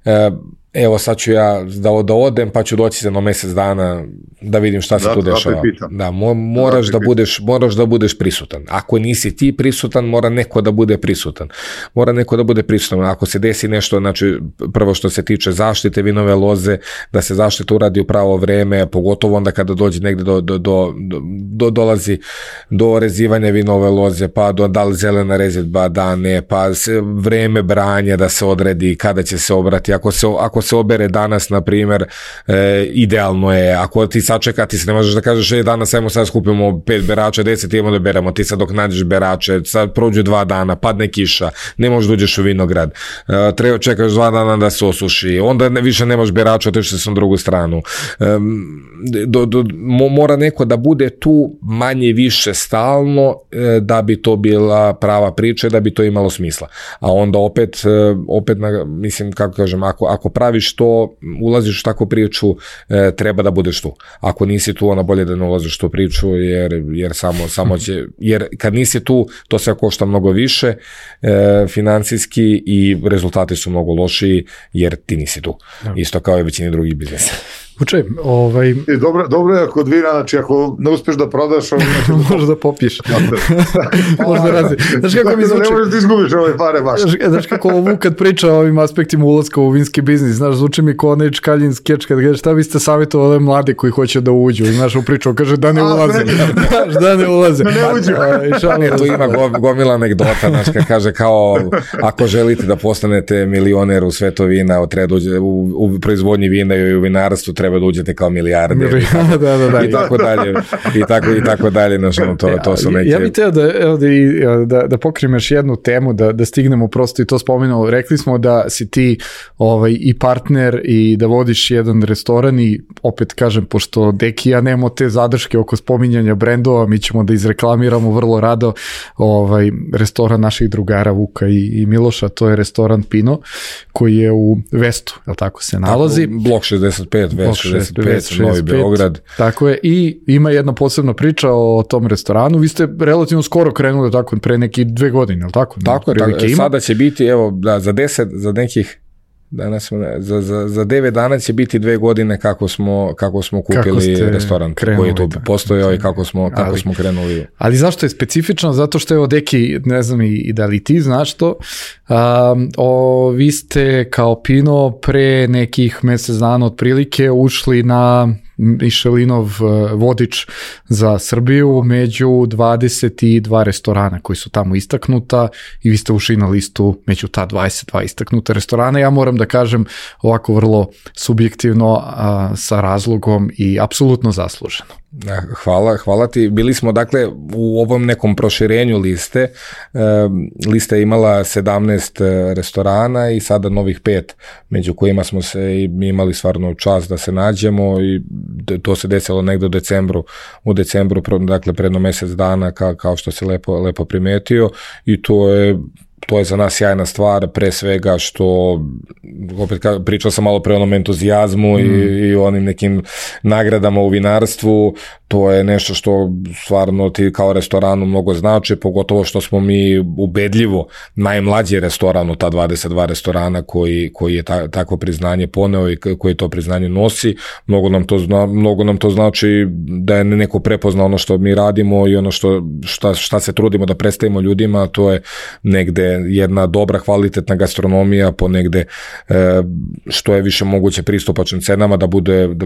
e, evo sad ću ja da, da odem pa ću doći za jedno mjesec dana da vidim šta se da, tu dešava. Da, mo, moraš da, da budeš, moraš da budeš prisutan. Ako nisi ti prisutan, mora neko da bude prisutan. Mora neko da bude prisutan. Ako se desi nešto, znači prvo što se tiče zaštite vinove loze, da se zaštita uradi u pravo vreme, pogotovo onda kada dođe negde do, do, do, do dolazi do rezivanja vinove loze, pa do da li zelena rezidba, da ne, pa se vreme branja da se odredi kada će se obrati. Ako se, ako se obere danas, na primjer, e, idealno je, ako ti sačeka, ti se ne možeš da kažeš, e, danas ajmo sad skupimo pet berača, deset idemo da beremo, ti sad dok nađeš berače, sad prođu dva dana, padne kiša, ne možeš da uđeš u vinograd, e, treba čekaš dva dana da se osuši, onda ne, više nemaš berača, otišli se na drugu stranu. E, do, do, mo, mora neko da bude tu manje više stalno, e, da bi to bila prava priča, da bi to imalo smisla. A onda opet, e, opet na, mislim, kako kažem, ako, ako pravi što ulaziš u takvu priču, e, treba da budeš tu. Ako nisi tu, onda bolje da ne ulaziš u tu priču, jer, jer samo, samo će, jer kad nisi tu, to sve košta mnogo više e, financijski i rezultati su mnogo lošiji, jer ti nisi tu. Ja. Isto kao i većini drugih biznesa. Uče, ovaj... I dobro, dobro je kod vina, znači ako ne uspeš da prodaš, ovaj, znači, možeš da popiješ. Možda razi. Znaš kako mi zvuči... Ne možeš da izgubiš ove pare baš. Znaš kako Vuk kad priča o ovim aspektima ulaska u vinski biznis, znaš, zvuči mi kao onaj Čkaljin skeč kad kaže šta vi ste savjetovali mlade koji hoće da uđu. Znaš, u priču kaže da ne ulaze. Znaš, da ne ulaze. Da ne uđu. Tu ima gomila anegdota, znaš, kad kaže kao ako želite da postanete milioner u svetu vina, treba uđe u, u proizvodnji vina i u vinarstvu, treba da uđete kao milijarder i tako, da, da, da. i tako dalje i tako i tako dalje, znači, to, to su neke... Ja bih teo da, da, da, da pokrijem još jednu temu, da, da stignemo prosto i to spomenuo, rekli smo da si ti ovaj, i partner i da vodiš jedan restoran i opet kažem, pošto Deki ja nemamo te zadrške oko spominjanja brendova, mi ćemo da izreklamiramo vrlo rado ovaj, restoran naših drugara Vuka i, i Miloša, to je restoran Pino koji je u Vestu, je li tako se nalazi? Tako, blok šezdeset pet, Vest šezdeset pet, Novi Beograd. Tako je, i ima jedna posebna priča o tom restoranu. Vi ste relativno skoro krenuli, tako, pre neki dve godine, je li tako? Tako je, tako, sada će biti, evo, da, za deset, za nekih Danas smo, za, za, za devet dana će biti dve godine kako smo, kako smo kupili kako restoran koji je tu postojao i kako smo, kako ali, smo krenuli. Ali zašto je specifično? Zato što je od Deki, ne znam i da li ti znaš to, um, o, vi ste kao Pino pre nekih mesec dana otprilike ušli na Michelinov vodič za Srbiju među dvadeset dva restorana koji su tamo istaknuta i vi ste ušli na listu među ta dvadeset dva istaknuta restorana. Ja moram da kažem ovako vrlo subjektivno a, sa razlogom i apsolutno zasluženo. Hvala, hvala ti. Bili smo dakle u ovom nekom proširenju liste. E, lista je imala sedamnaest restorana i sada novih pet, među kojima smo se imali stvarno čast da se nađemo i to se desilo negde u decembru, u decembru, dakle predno mesec dana ka, kao što se lepo, lepo primetio i to je To je za nas sjajna stvar, pre svega što, opet pričao sam malo pre onom entuzijazmu mm. i, i onim nekim nagradama u vinarstvu, to je nešto što stvarno ti kao restoranu mnogo znači, pogotovo što smo mi ubedljivo najmlađi restoran od ta dvadeset dva restorana koji, koji je ta, takvo priznanje poneo i koji to priznanje nosi. Mnogo nam to, zna, mnogo nam to znači da je neko prepozna ono što mi radimo i ono što, šta, šta se trudimo da predstavimo ljudima, to je negde jedna dobra kvalitetna gastronomija po negde e, što je više moguće pristupačnim cenama, da bude da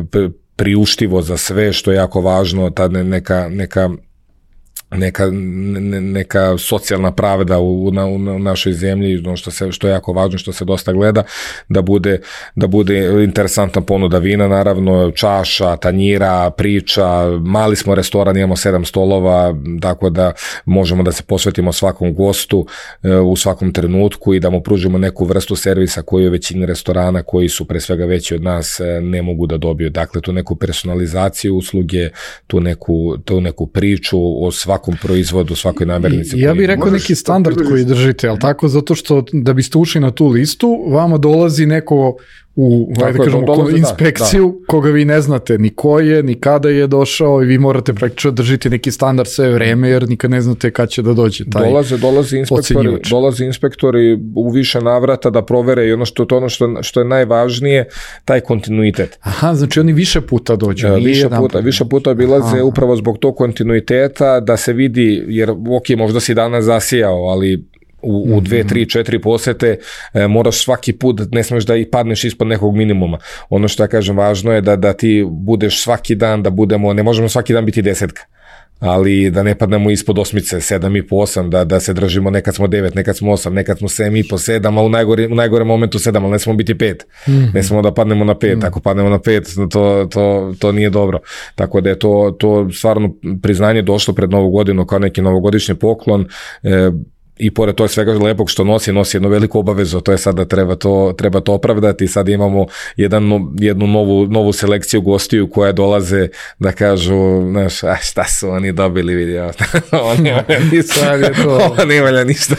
priuštivo za sve, što je jako važno, ta neka, neka neka, ne, neka socijalna pravda u, u, u našoj zemlji, ono što, se, što je jako važno, što se dosta gleda, da bude, da bude interesantna ponuda vina, naravno, čaša, tanjira, priča, mali smo restoran, imamo sedam stolova, tako da možemo da se posvetimo svakom gostu e, u svakom trenutku i da mu pružimo neku vrstu servisa koju većini restorana koji su pre svega veći od nas e, ne mogu da dobiju. Dakle, tu neku personalizaciju usluge, tu neku, tu neku priču o svakom proizvodu, svakoj namirnici. Ja bih rekao neki standard koji držite, ali tako, zato što da biste ušli na tu listu, vama dolazi neko u ajde da kažemo, dolazi, inspekciju da, da. koga vi ne znate ni ko je, ni kada je došao i vi morate praktično držiti neki standard sve vreme jer nikad ne znate kad će da dođe taj dolaze, dolaze inspektori, dolaze inspektori u više navrata da provere i ono što, to ono što, što je najvažnije, taj kontinuitet. Aha, znači oni više puta dođu. Nije više, puta, više puta obilaze Aha. upravo zbog tog kontinuiteta da se vidi, jer ok, možda si danas zasijao, ali u, u dve, tri, četiri posete e, moraš svaki put, ne smeš da i padneš ispod nekog minimuma. Ono što ja kažem, važno je da, da ti budeš svaki dan, da budemo, ne možemo svaki dan biti desetka, ali da ne padnemo ispod osmice, sedam i po, osam, da, da se držimo, nekad smo devet, nekad smo osam, nekad smo sedam i po, sedam, a u najgore, u najgore momentu sedam, ali ne smemo biti pet. Mm-hmm. Ne smemo da padnemo na pet, mm-hmm. ako padnemo na pet, to, to, to nije dobro. Tako da je to, to stvarno priznanje došlo pred Novu godinu kao neki novogodišnji poklon, e, i pored toga svega lepog što nosi, nosi jednu veliku obavezu, to je sad da treba to, treba to opravdati. Sad imamo jedan, jednu novu, novu selekciju gostiju koje dolaze da kažu, znaš, a šta su oni dobili, vidio, oni ne valja ništa.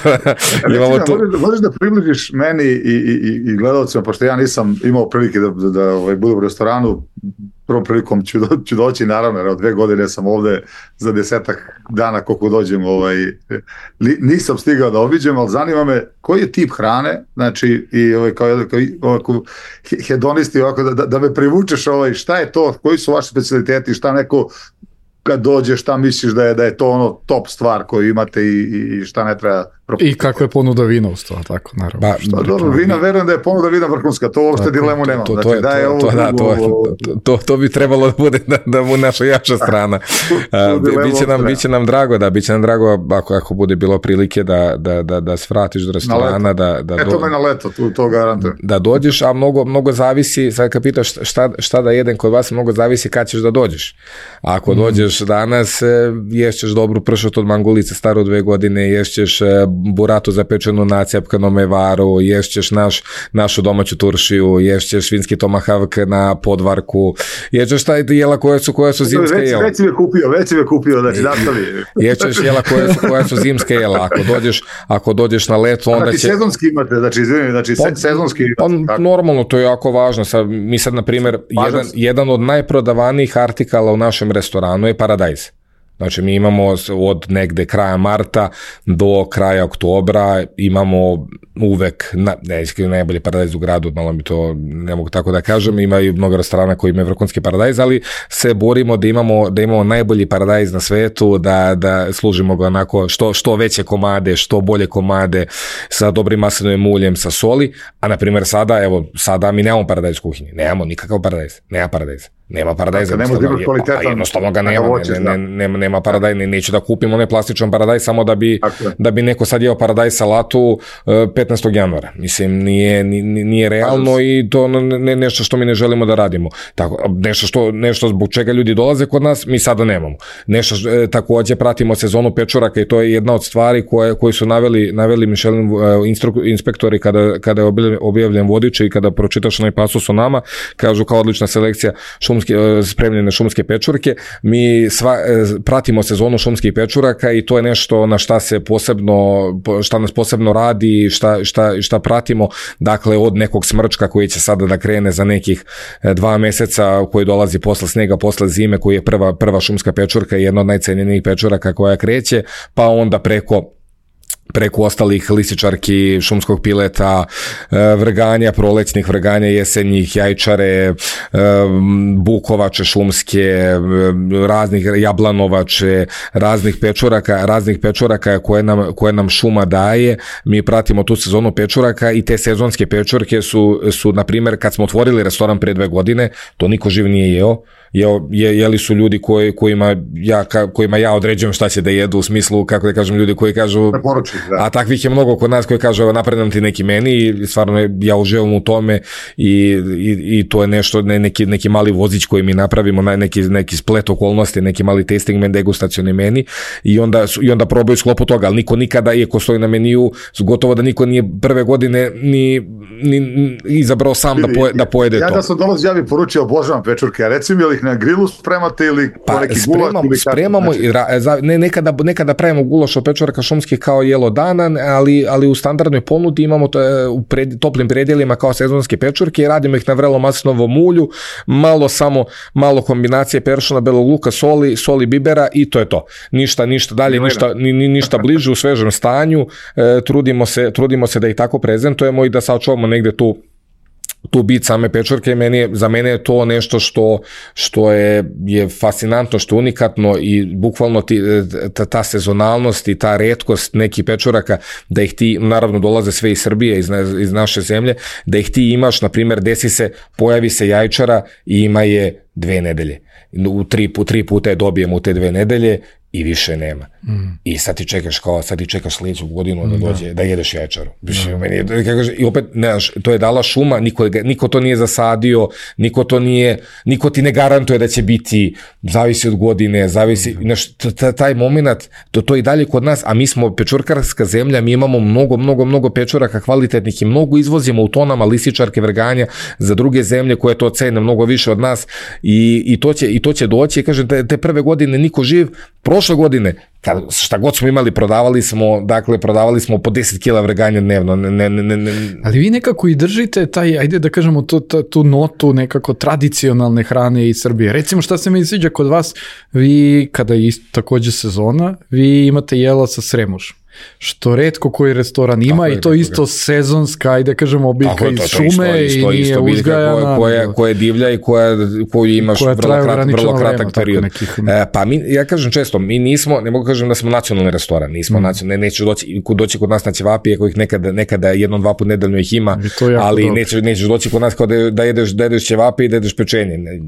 Imamo tu... Možeš da približiš meni i, i, i gledalcima, pošto ja nisam imao prilike da, da, da ovaj, budem u restoranu, prvom prilikom ću, do, ću doći, naravno, jer od dve godine sam ovde za desetak dana koliko dođem, ovaj, li, nisam stigao da obiđem, ali zanima me koji je tip hrane, znači, i ovaj, kao, kao, ovako, hedonisti, ovako, da, da me privučeš, ovaj, šta je to, koji su vaši specialiteti, šta neko kad dođe, šta misliš da je, da je to ono top stvar koju imate i, i šta ne treba propustiti. I kako je ponuda vina u sto, tako, naravno. Ba, šta, dobro, vina, verujem da je ponuda vina vrhunska, to uopšte dilemu nema. To, to, znači, to, da je to, ovo, to, da, to, to, to, to bi trebalo da bude da, da mu naša jača strana. A, biće, nam, biće nam drago, da, biće nam drago ako, ako bude bilo prilike da, da, da, da svratiš do restorana. Da, da Eto do, me na leto, to, to garantujem. Da dođeš, a mnogo, mnogo zavisi, sad kad pitaš šta, šta da jedem kod vas, mnogo zavisi kad ćeš da dođeš. A ako mm. dođeš danas, ješćeš dobru pršut od mangulice staru dve godine, ješćeš buratu zapečenu na cijepkanom mevaru, ješćeš naš, našu domaću turšiju, ješćeš svinski tomahavk na podvarku, ješćeš taj jela koja su, koja su zimska već, jela. Već si me kupio, već si me kupio, znači nastavi. Ješćeš jela koja su, koja su zimska jela, ako dođeš, ako dođeš na leto, onda znači, će... Znači sezonski imate, znači, izvini, znači pa, sezonski imate. Pa, normalno, to je jako važno. Sad, mi sad, na primjer, jedan, jedan od najprodavanijih artikala u našem restoranu je paradajz. Znači mi imamo od negde kraja marta do kraja oktobra imamo uvek, na, ne, najbolji paradajz u gradu, malo mi to ne mogu tako da kažem, ima i mnogo restorana koji imaju vrhunski paradajz, ali se borimo da imamo, da imamo najbolji paradajz na svetu, da, da služimo ga onako što, što veće komade, što bolje komade, sa dobrim maslinovim uljem, sa soli, a na primjer sada, evo, sada mi nemamo paradajz u kuhinji, nemamo nikakav paradajz, nema paradajz. Nema paradajza, dakle, nema pa, pa jednostavno ga nema, voće, ne, ne, nema, nema paradajz, ne, neću da kupim onaj plastičan paradajz samo da bi, da bi neko sad jeo paradajz salatu uh, petnaestog januara. Mislim, nije, nije realno i to ne, nešto što mi ne želimo da radimo. Tako, nešto, što, nešto zbog čega ljudi dolaze kod nas, mi sada nemamo. Nešto što, takođe pratimo sezonu pečuraka i to je jedna od stvari koje, koje su naveli, naveli Michelin uh, instru, inspektori kada, kada je objavljen vodič i kada pročitaš onaj pasus o nama, kažu kao odlična selekcija šumskih spremljene šumske pečurke. Mi sva, pratimo sezonu šumskih pečuraka i to je nešto na šta se posebno, šta nas posebno radi, šta, šta, šta pratimo, dakle od nekog smrčka koji će sada da krene za nekih dva meseca, koji dolazi posle snega, posle zime, koji je prva, prva šumska pečurka i jedna od najcenjenijih pečuraka koja kreće, pa onda preko preko ostalih lisičarki, šumskog pileta, vrganja, prolećnih vrganja, jesenjih, jajčare, bukovače šumske, raznih jablanovače, raznih pečuraka, raznih pečuraka koje nam, koje nam šuma daje. Mi pratimo tu sezonu pečuraka i te sezonske pečurke su, su na primjer, kad smo otvorili restoran pre dve godine, to niko živ nije jeo. Je, je, jeli su ljudi koji, kojima, ja, kojima ja određujem šta će da jedu, u smislu, kako da kažem, ljudi koji kažu, poruči, a takvih je mnogo kod nas koji kažu, evo napredam ti neki meni i stvarno ja uživam u tome i, i, i to je nešto, ne, neki, neki mali vozić koji mi napravimo, neki, neki splet okolnosti, neki mali tasting men, degustacioni meni i onda, i onda probaju sklopu toga, ali niko nikada, iako stoji na meniju, gotovo da niko nije prve godine ni, ni, ni izabrao sam da, poje, da pojede ja to. Ja da sam dolazio, ja bih poručio, obožavam pečurke, a recimo li ih na grilu spremate ili pa, neki spremamo, gulaš? Spremamo, znači... ne, nekada, nekada pravimo gulaš od pečuraka šumskih kao jelo dana, ali, ali u standardnoj ponudi imamo to, u pred, toplim predjelima kao sezonske pečurke i radimo ih na vrelo maslinovom ulju, malo samo, malo kombinacije peršuna, belog luka, soli, soli bibera i to je to. Ništa, ništa dalje, ništa, ni, ni, ništa bliže u svežem stanju, e, trudimo se, trudimo se da ih tako prezentujemo i da sačuvamo negde tu tu bit same pečurke. Meni, za mene je to nešto što, što je, je fascinantno, što je unikatno i bukvalno ti, ta, ta sezonalnost i ta retkost nekih pečuraka, da ih ti, naravno dolaze sve iz Srbije, iz, iz naše zemlje, da ih ti imaš, na primjer, desi se, pojavi se jajčara i ima je dve nedelje. U tri, tri puta je dobijemo u te dve nedelje i više nema. Mm. I sad ti čekaš kao, sad ti čekaš sljedeću godinu da dođe, da, da jedeš jajčaru. Mm. Meni, i opet, ne, to je dala šuma, niko, niko to nije zasadio, niko to nije, niko ti ne garantuje da će biti, zavisi od godine, zavisi, mm. znaš, taj moment, to, to je i dalje kod nas, a mi smo pečurkarska zemlja, mi imamo mnogo, mnogo, mnogo pečuraka kvalitetnih i mnogo izvozimo u tonama lisičarke, vrganja za druge zemlje koje to cene mnogo više od nas i, i, to, će, i to će doći, kažem, te, te prve godine niko živ, prošle godine, kad, šta god smo imali, prodavali smo, dakle, prodavali smo po deset kila vrganja dnevno. Ne, ne, ne, ne. Ali vi nekako i držite taj, ajde da kažemo, tu, tu notu nekako tradicionalne hrane iz Srbije. Recimo, šta se mi sviđa kod vas, vi, kada je također sezona, vi imate jela sa sremušom. Što retko koji restoran ima i to isto sezonska, ajde kažemo, biljka iz šume i nije uzgajana. Koja, koja je divlja i koja, koju imaš koja vrlo, krat, vrlo kratak vrema, period. Nekih... E, pa mi, ja kažem često, mi nismo, ne mogu kažem da smo nacionalni restoran, nismo mm. nacionalni, ne, neću doći, doći kod nas na ćevapije kojih nekada, nekada jednom, dva put nedeljno ih ima, ali neće, nećeš doći kod nas kao da, da jedeš, da jedeš ćevapije i da jedeš pečenje. Ne,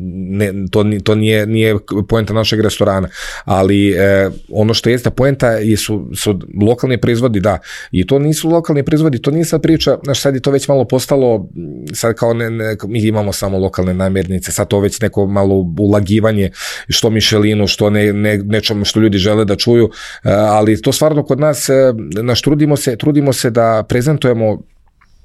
ne, to to nije, nije poenta našeg restorana, ali e, ono što jeste poenta je su, su lokalni proizvodi, da, i to nisu lokalni proizvodi, to nije sad priča, znaš, sad je to već malo postalo, sad kao ne, ne, mi imamo samo lokalne namirnice, sad to već neko malo ulagivanje, što Michelinu, što ne, ne, nečom što ljudi žele da čuju, ali to stvarno kod nas, naš, trudimo se, trudimo se da prezentujemo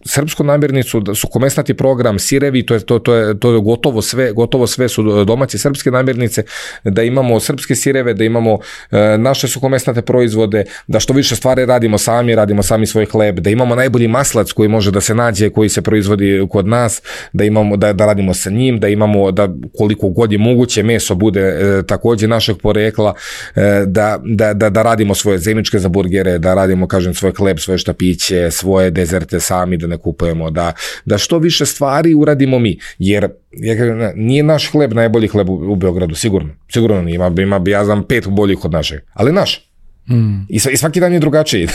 srpsku namirnicu, da su komesnati program, sirevi, to je, to, to je, to je gotovo sve, gotovo sve su domaće srpske namirnice, da imamo srpske sireve, da imamo e, naše suhomesnate proizvode, da što više stvari radimo sami, radimo sami svoj hleb, da imamo najbolji maslac koji može da se nađe, koji se proizvodi kod nas, da imamo, da, da radimo sa njim, da imamo, da koliko god je moguće meso bude e, također našeg porekla, e, da, da, da, da radimo svoje zemičke za burgere, da radimo, kažem, svoj hleb, svoje štapiće, svoje dezerte sami, da ne kupujemo, da, da što više stvari uradimo mi, jer je, nije naš hleb najbolji hleb u, u Beogradu, sigurno, sigurno nije, ima, ima, ja znam, pet boljih od našeg, ali naš. Mm. I, I svaki dan je drugačiji.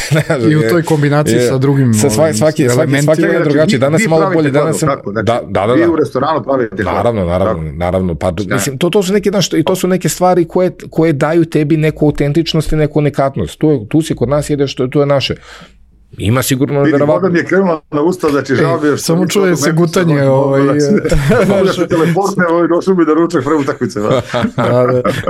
I u toj kombinaciji je, sa drugim sa svaki, svaki, svaki, svaki dan je drugačiji. Danas je malo bolje. Danas sam, tako, znači, da, da, da, vi u restoranu pravite hleb. Naravno, naravno, naravno. Pa, mislim, to, to, su neke, i to su neke stvari koje, koje daju tebi neku autentičnost i neku unikatnost. Tu, tu si kod nas jedeš, to, to je naše. Ima sigurno verovatno. Voda mi je krenula na usta, znači žao mi je što... Samo čuje se gutanje. Mogu da se teleportne, došao mi da ručak pre utakmice.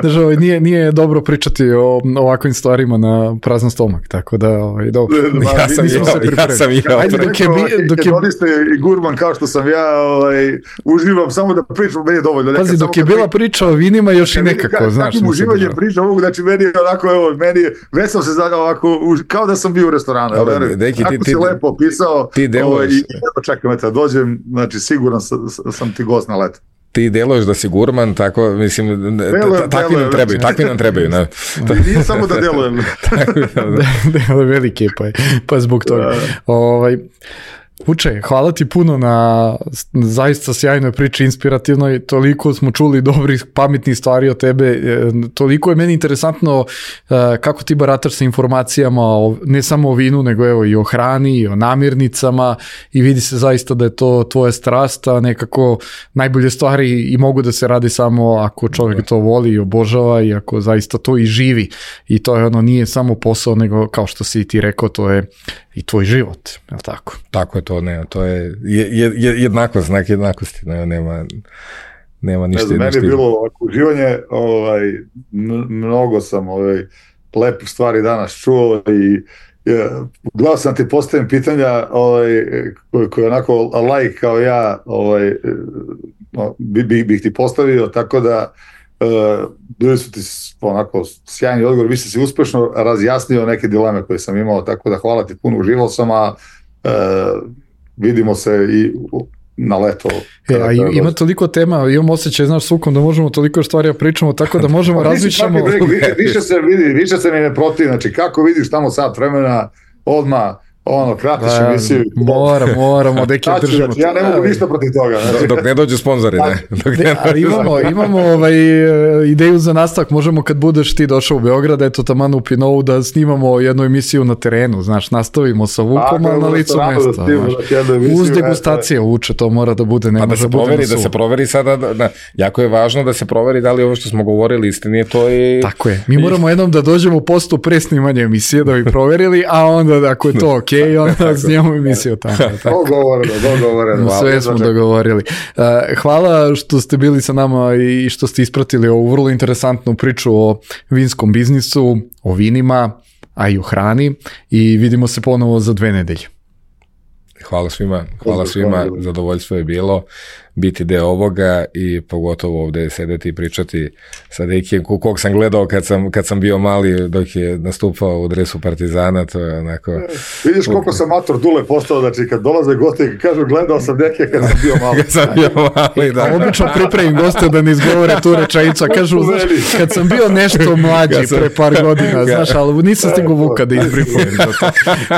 Držao, nije, nije dobro pričati o ovakvim stvarima na prazan stomak, tako da, ovaj, dobro. Ja sam jeo, ja sam jeo. Ajde, dok je... Dok je niste i gurman kao što sam ja, ovaj, uživam samo da pričam, meni je dovoljno. Pazi, dok je bila priča o vinima, još i nekako, znaš. Takim uživanjem pričam, mogu, znači meni je onako, evo, meni je, već sam se ovako, kao da sam bio u restoranu. Deki, Ako ti, si ti, lepo opisao, ti deluješ, ovaj, i čekam, eto, dođem, znači siguran sam, sam ti gost na letu. Ti deluješ da si gurman, tako, mislim, delujem, takvi delujem, nam trebaju, takvi nam trebaju. Ne? Nije samo da delujem. Deluje velike, pa, pa zbog toga. Ovaj... Vuče, hvala ti puno na zaista sjajnoj priči, inspirativnoj, toliko smo čuli dobrih, pametnih stvari od tebe, toliko je meni interesantno kako ti barataš sa informacijama, ne samo o vinu, nego evo i o hrani, i o namirnicama i vidi se zaista da je to tvoja strast, a nekako najbolje stvari i mogu da se radi samo ako čovjek to voli i obožava i ako zaista to i živi i to je ono, nije samo posao, nego kao što si ti rekao, to je i tvoj život, je li tako? Tako je to, ne, to je, je, je jednakost, znak jednakosti, ne, nema, nema ništa. Ne, meni je bilo ovako uživanje, ovaj, mnogo sam ovaj, lepih stvari danas čuo i je, gledao sam ti postavim pitanja ovaj, koje, koje onako like kao ja ovaj, bih bi, bi ti postavio, tako da Uh, bili su ti onako sjajni odgovor, vi ste si uspešno razjasnio neke dileme koje sam imao, tako da hvala ti puno, uživao sam, a uh, vidimo se i na leto. E, a ima toliko tema, imam osjećaj, znaš, sukom da možemo toliko stvari da pričamo, tako da možemo različamo. Više se vidi, više se mi ne protiv, znači kako vidiš tamo sat vremena, odmah ono, kratiš emisiju. Mora, moramo, deki držimo. Ja ne mogu ništa protiv toga. Znači. Dok ne dođu sponzori, ne. Dok ne, ali imamo, imamo ovaj, ideju za nastavak, možemo kad budeš ti došao u Beograd, eto taman u Pinovu, da snimamo jednu emisiju na terenu, znaš, nastavimo sa Vukom, a na licu mesta. Uz degustacije uče, to mora da bude, nema da se proveri, da se proveri sada, da, da, jako je važno da se proveri da li ovo što smo govorili istinije, to je... Tako je, mi moramo jednom da dođemo u postu pre snimanja emisije, da bi proverili, a onda ako je to okej, i onda snijemo emisiju tamo. Dogovoreno, dogovoreno. Sve smo dogovorili. Hvala što ste bili sa nama i što ste ispratili ovu vrlo interesantnu priču o vinskom biznisu, o vinima, a i o hrani i vidimo se ponovo za dve nedelje. Hvala svima, hvala svima, zadovoljstvo je bilo biti deo ovoga i pogotovo ovdje sedeti i pričati sa Dekijem, kog sam gledao kad sam, kad sam bio mali dok je nastupao u dresu Partizana, to je onako... Vidiš koliko sam mator Dule postao, znači kad dolaze gosti i kažu gledao sam Dekija kad sam bio mali. Kad sam bio mali, da. A obično pripremim goste da ne izgovore tu rečenicu, kažu, znaš, kad sam bio nešto mlađi sam... pre par godina, znaš, ali nisam stigo Vuka da izpripremim za to.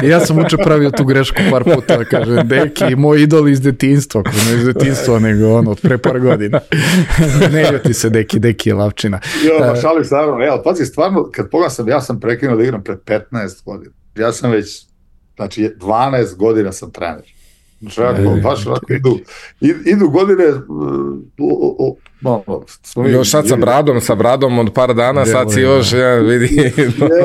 I ja sam uče pravio tu grešku par puta, kažem, Deki, moj idol iz detinjstva, ne iz detinjstva, nego ono, od pre par godina. Ne ljuti se, Deki, Deki je lavčina. Jo, uh, šalim stvarno, ja, pazi, stvarno, kad pogledam sam, ja sam prekinuo da igram pre petnaest godina. Ja sam već, znači, dvanaest godina sam trener. Znači, jako, baš onako, idu, idu godine, uh, uh, no, no, još sad sa bradom, sa bradom od par dana, Delo, sad si još, ja, vidi.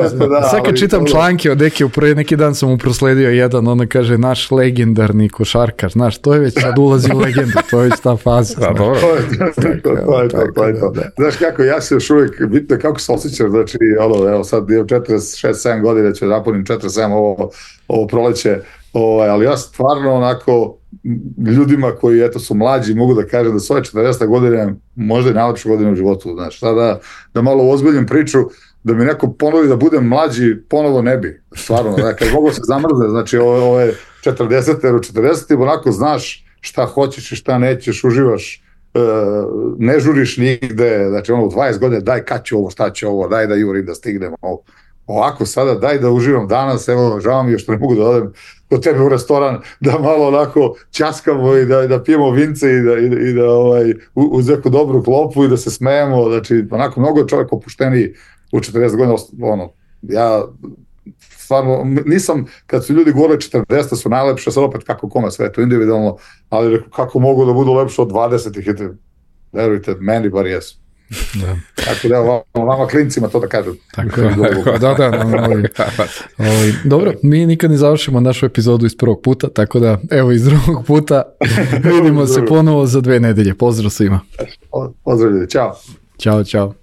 Jeste, da, sad kad čitam članke od Deki, upravo neki dan sam mu prosledio jedan, ona kaže, naš legendarni košarkar, znaš, to je već sad ulazi u legendu, to je već ta faza. Da, dobro. To je to, to je to, to je to. Znaš kako, ja se još uvijek, bitno kako se osjećam, znači, ono, evo sad imam četrdeset šest sedam godina, ću napunim četrdeset sedam ovo, ovo proleće, ovaj, ali ja stvarno onako ljudima koji eto su mlađi mogu da kažem da su ove četrdesete godine možda i najlepše godine u životu, znaš, sada da malo ozbiljim priču, da mi neko ponovi da budem mlađi, ponovo ne bi, stvarno, da, kad mogu se zamrzne, znači ove četrdesete, jer u četrdesetim onako znaš šta hoćeš i šta nećeš, uživaš, e, ne žuriš nigde, znači ono u dvadeset godine daj kad ću ovo, šta ću ovo, daj da jurim da stignem ovo. Ovako sada daj da uživam danas, evo žao mi je što ne mogu da odem kod tebe u restoran, da malo onako ćaskamo i da, da pijemo vince i da, i da, i da ovaj, uz neku dobru klopu i da se smejemo, znači onako mnogo je čovjek opušteniji u četrdeset godina, ono, ja stvarno nisam, kad su ljudi govorili četrdeset su najlepše, sad opet kako kome, sve je to individualno, ali kako mogu da budu lepše od dvadesetih, verujte, meni bar jesu. Da. Tako da vama, vama klincima to da kažem. Tako je. Da, da, da, da, ovaj, ovaj, dobro, mi nikad ne završimo našu epizodu iz prvog puta, tako da evo iz drugog puta vidimo se ponovo za dve nedelje. Pozdrav svima. Pozdrav ljudi, čao. Ćao, čao.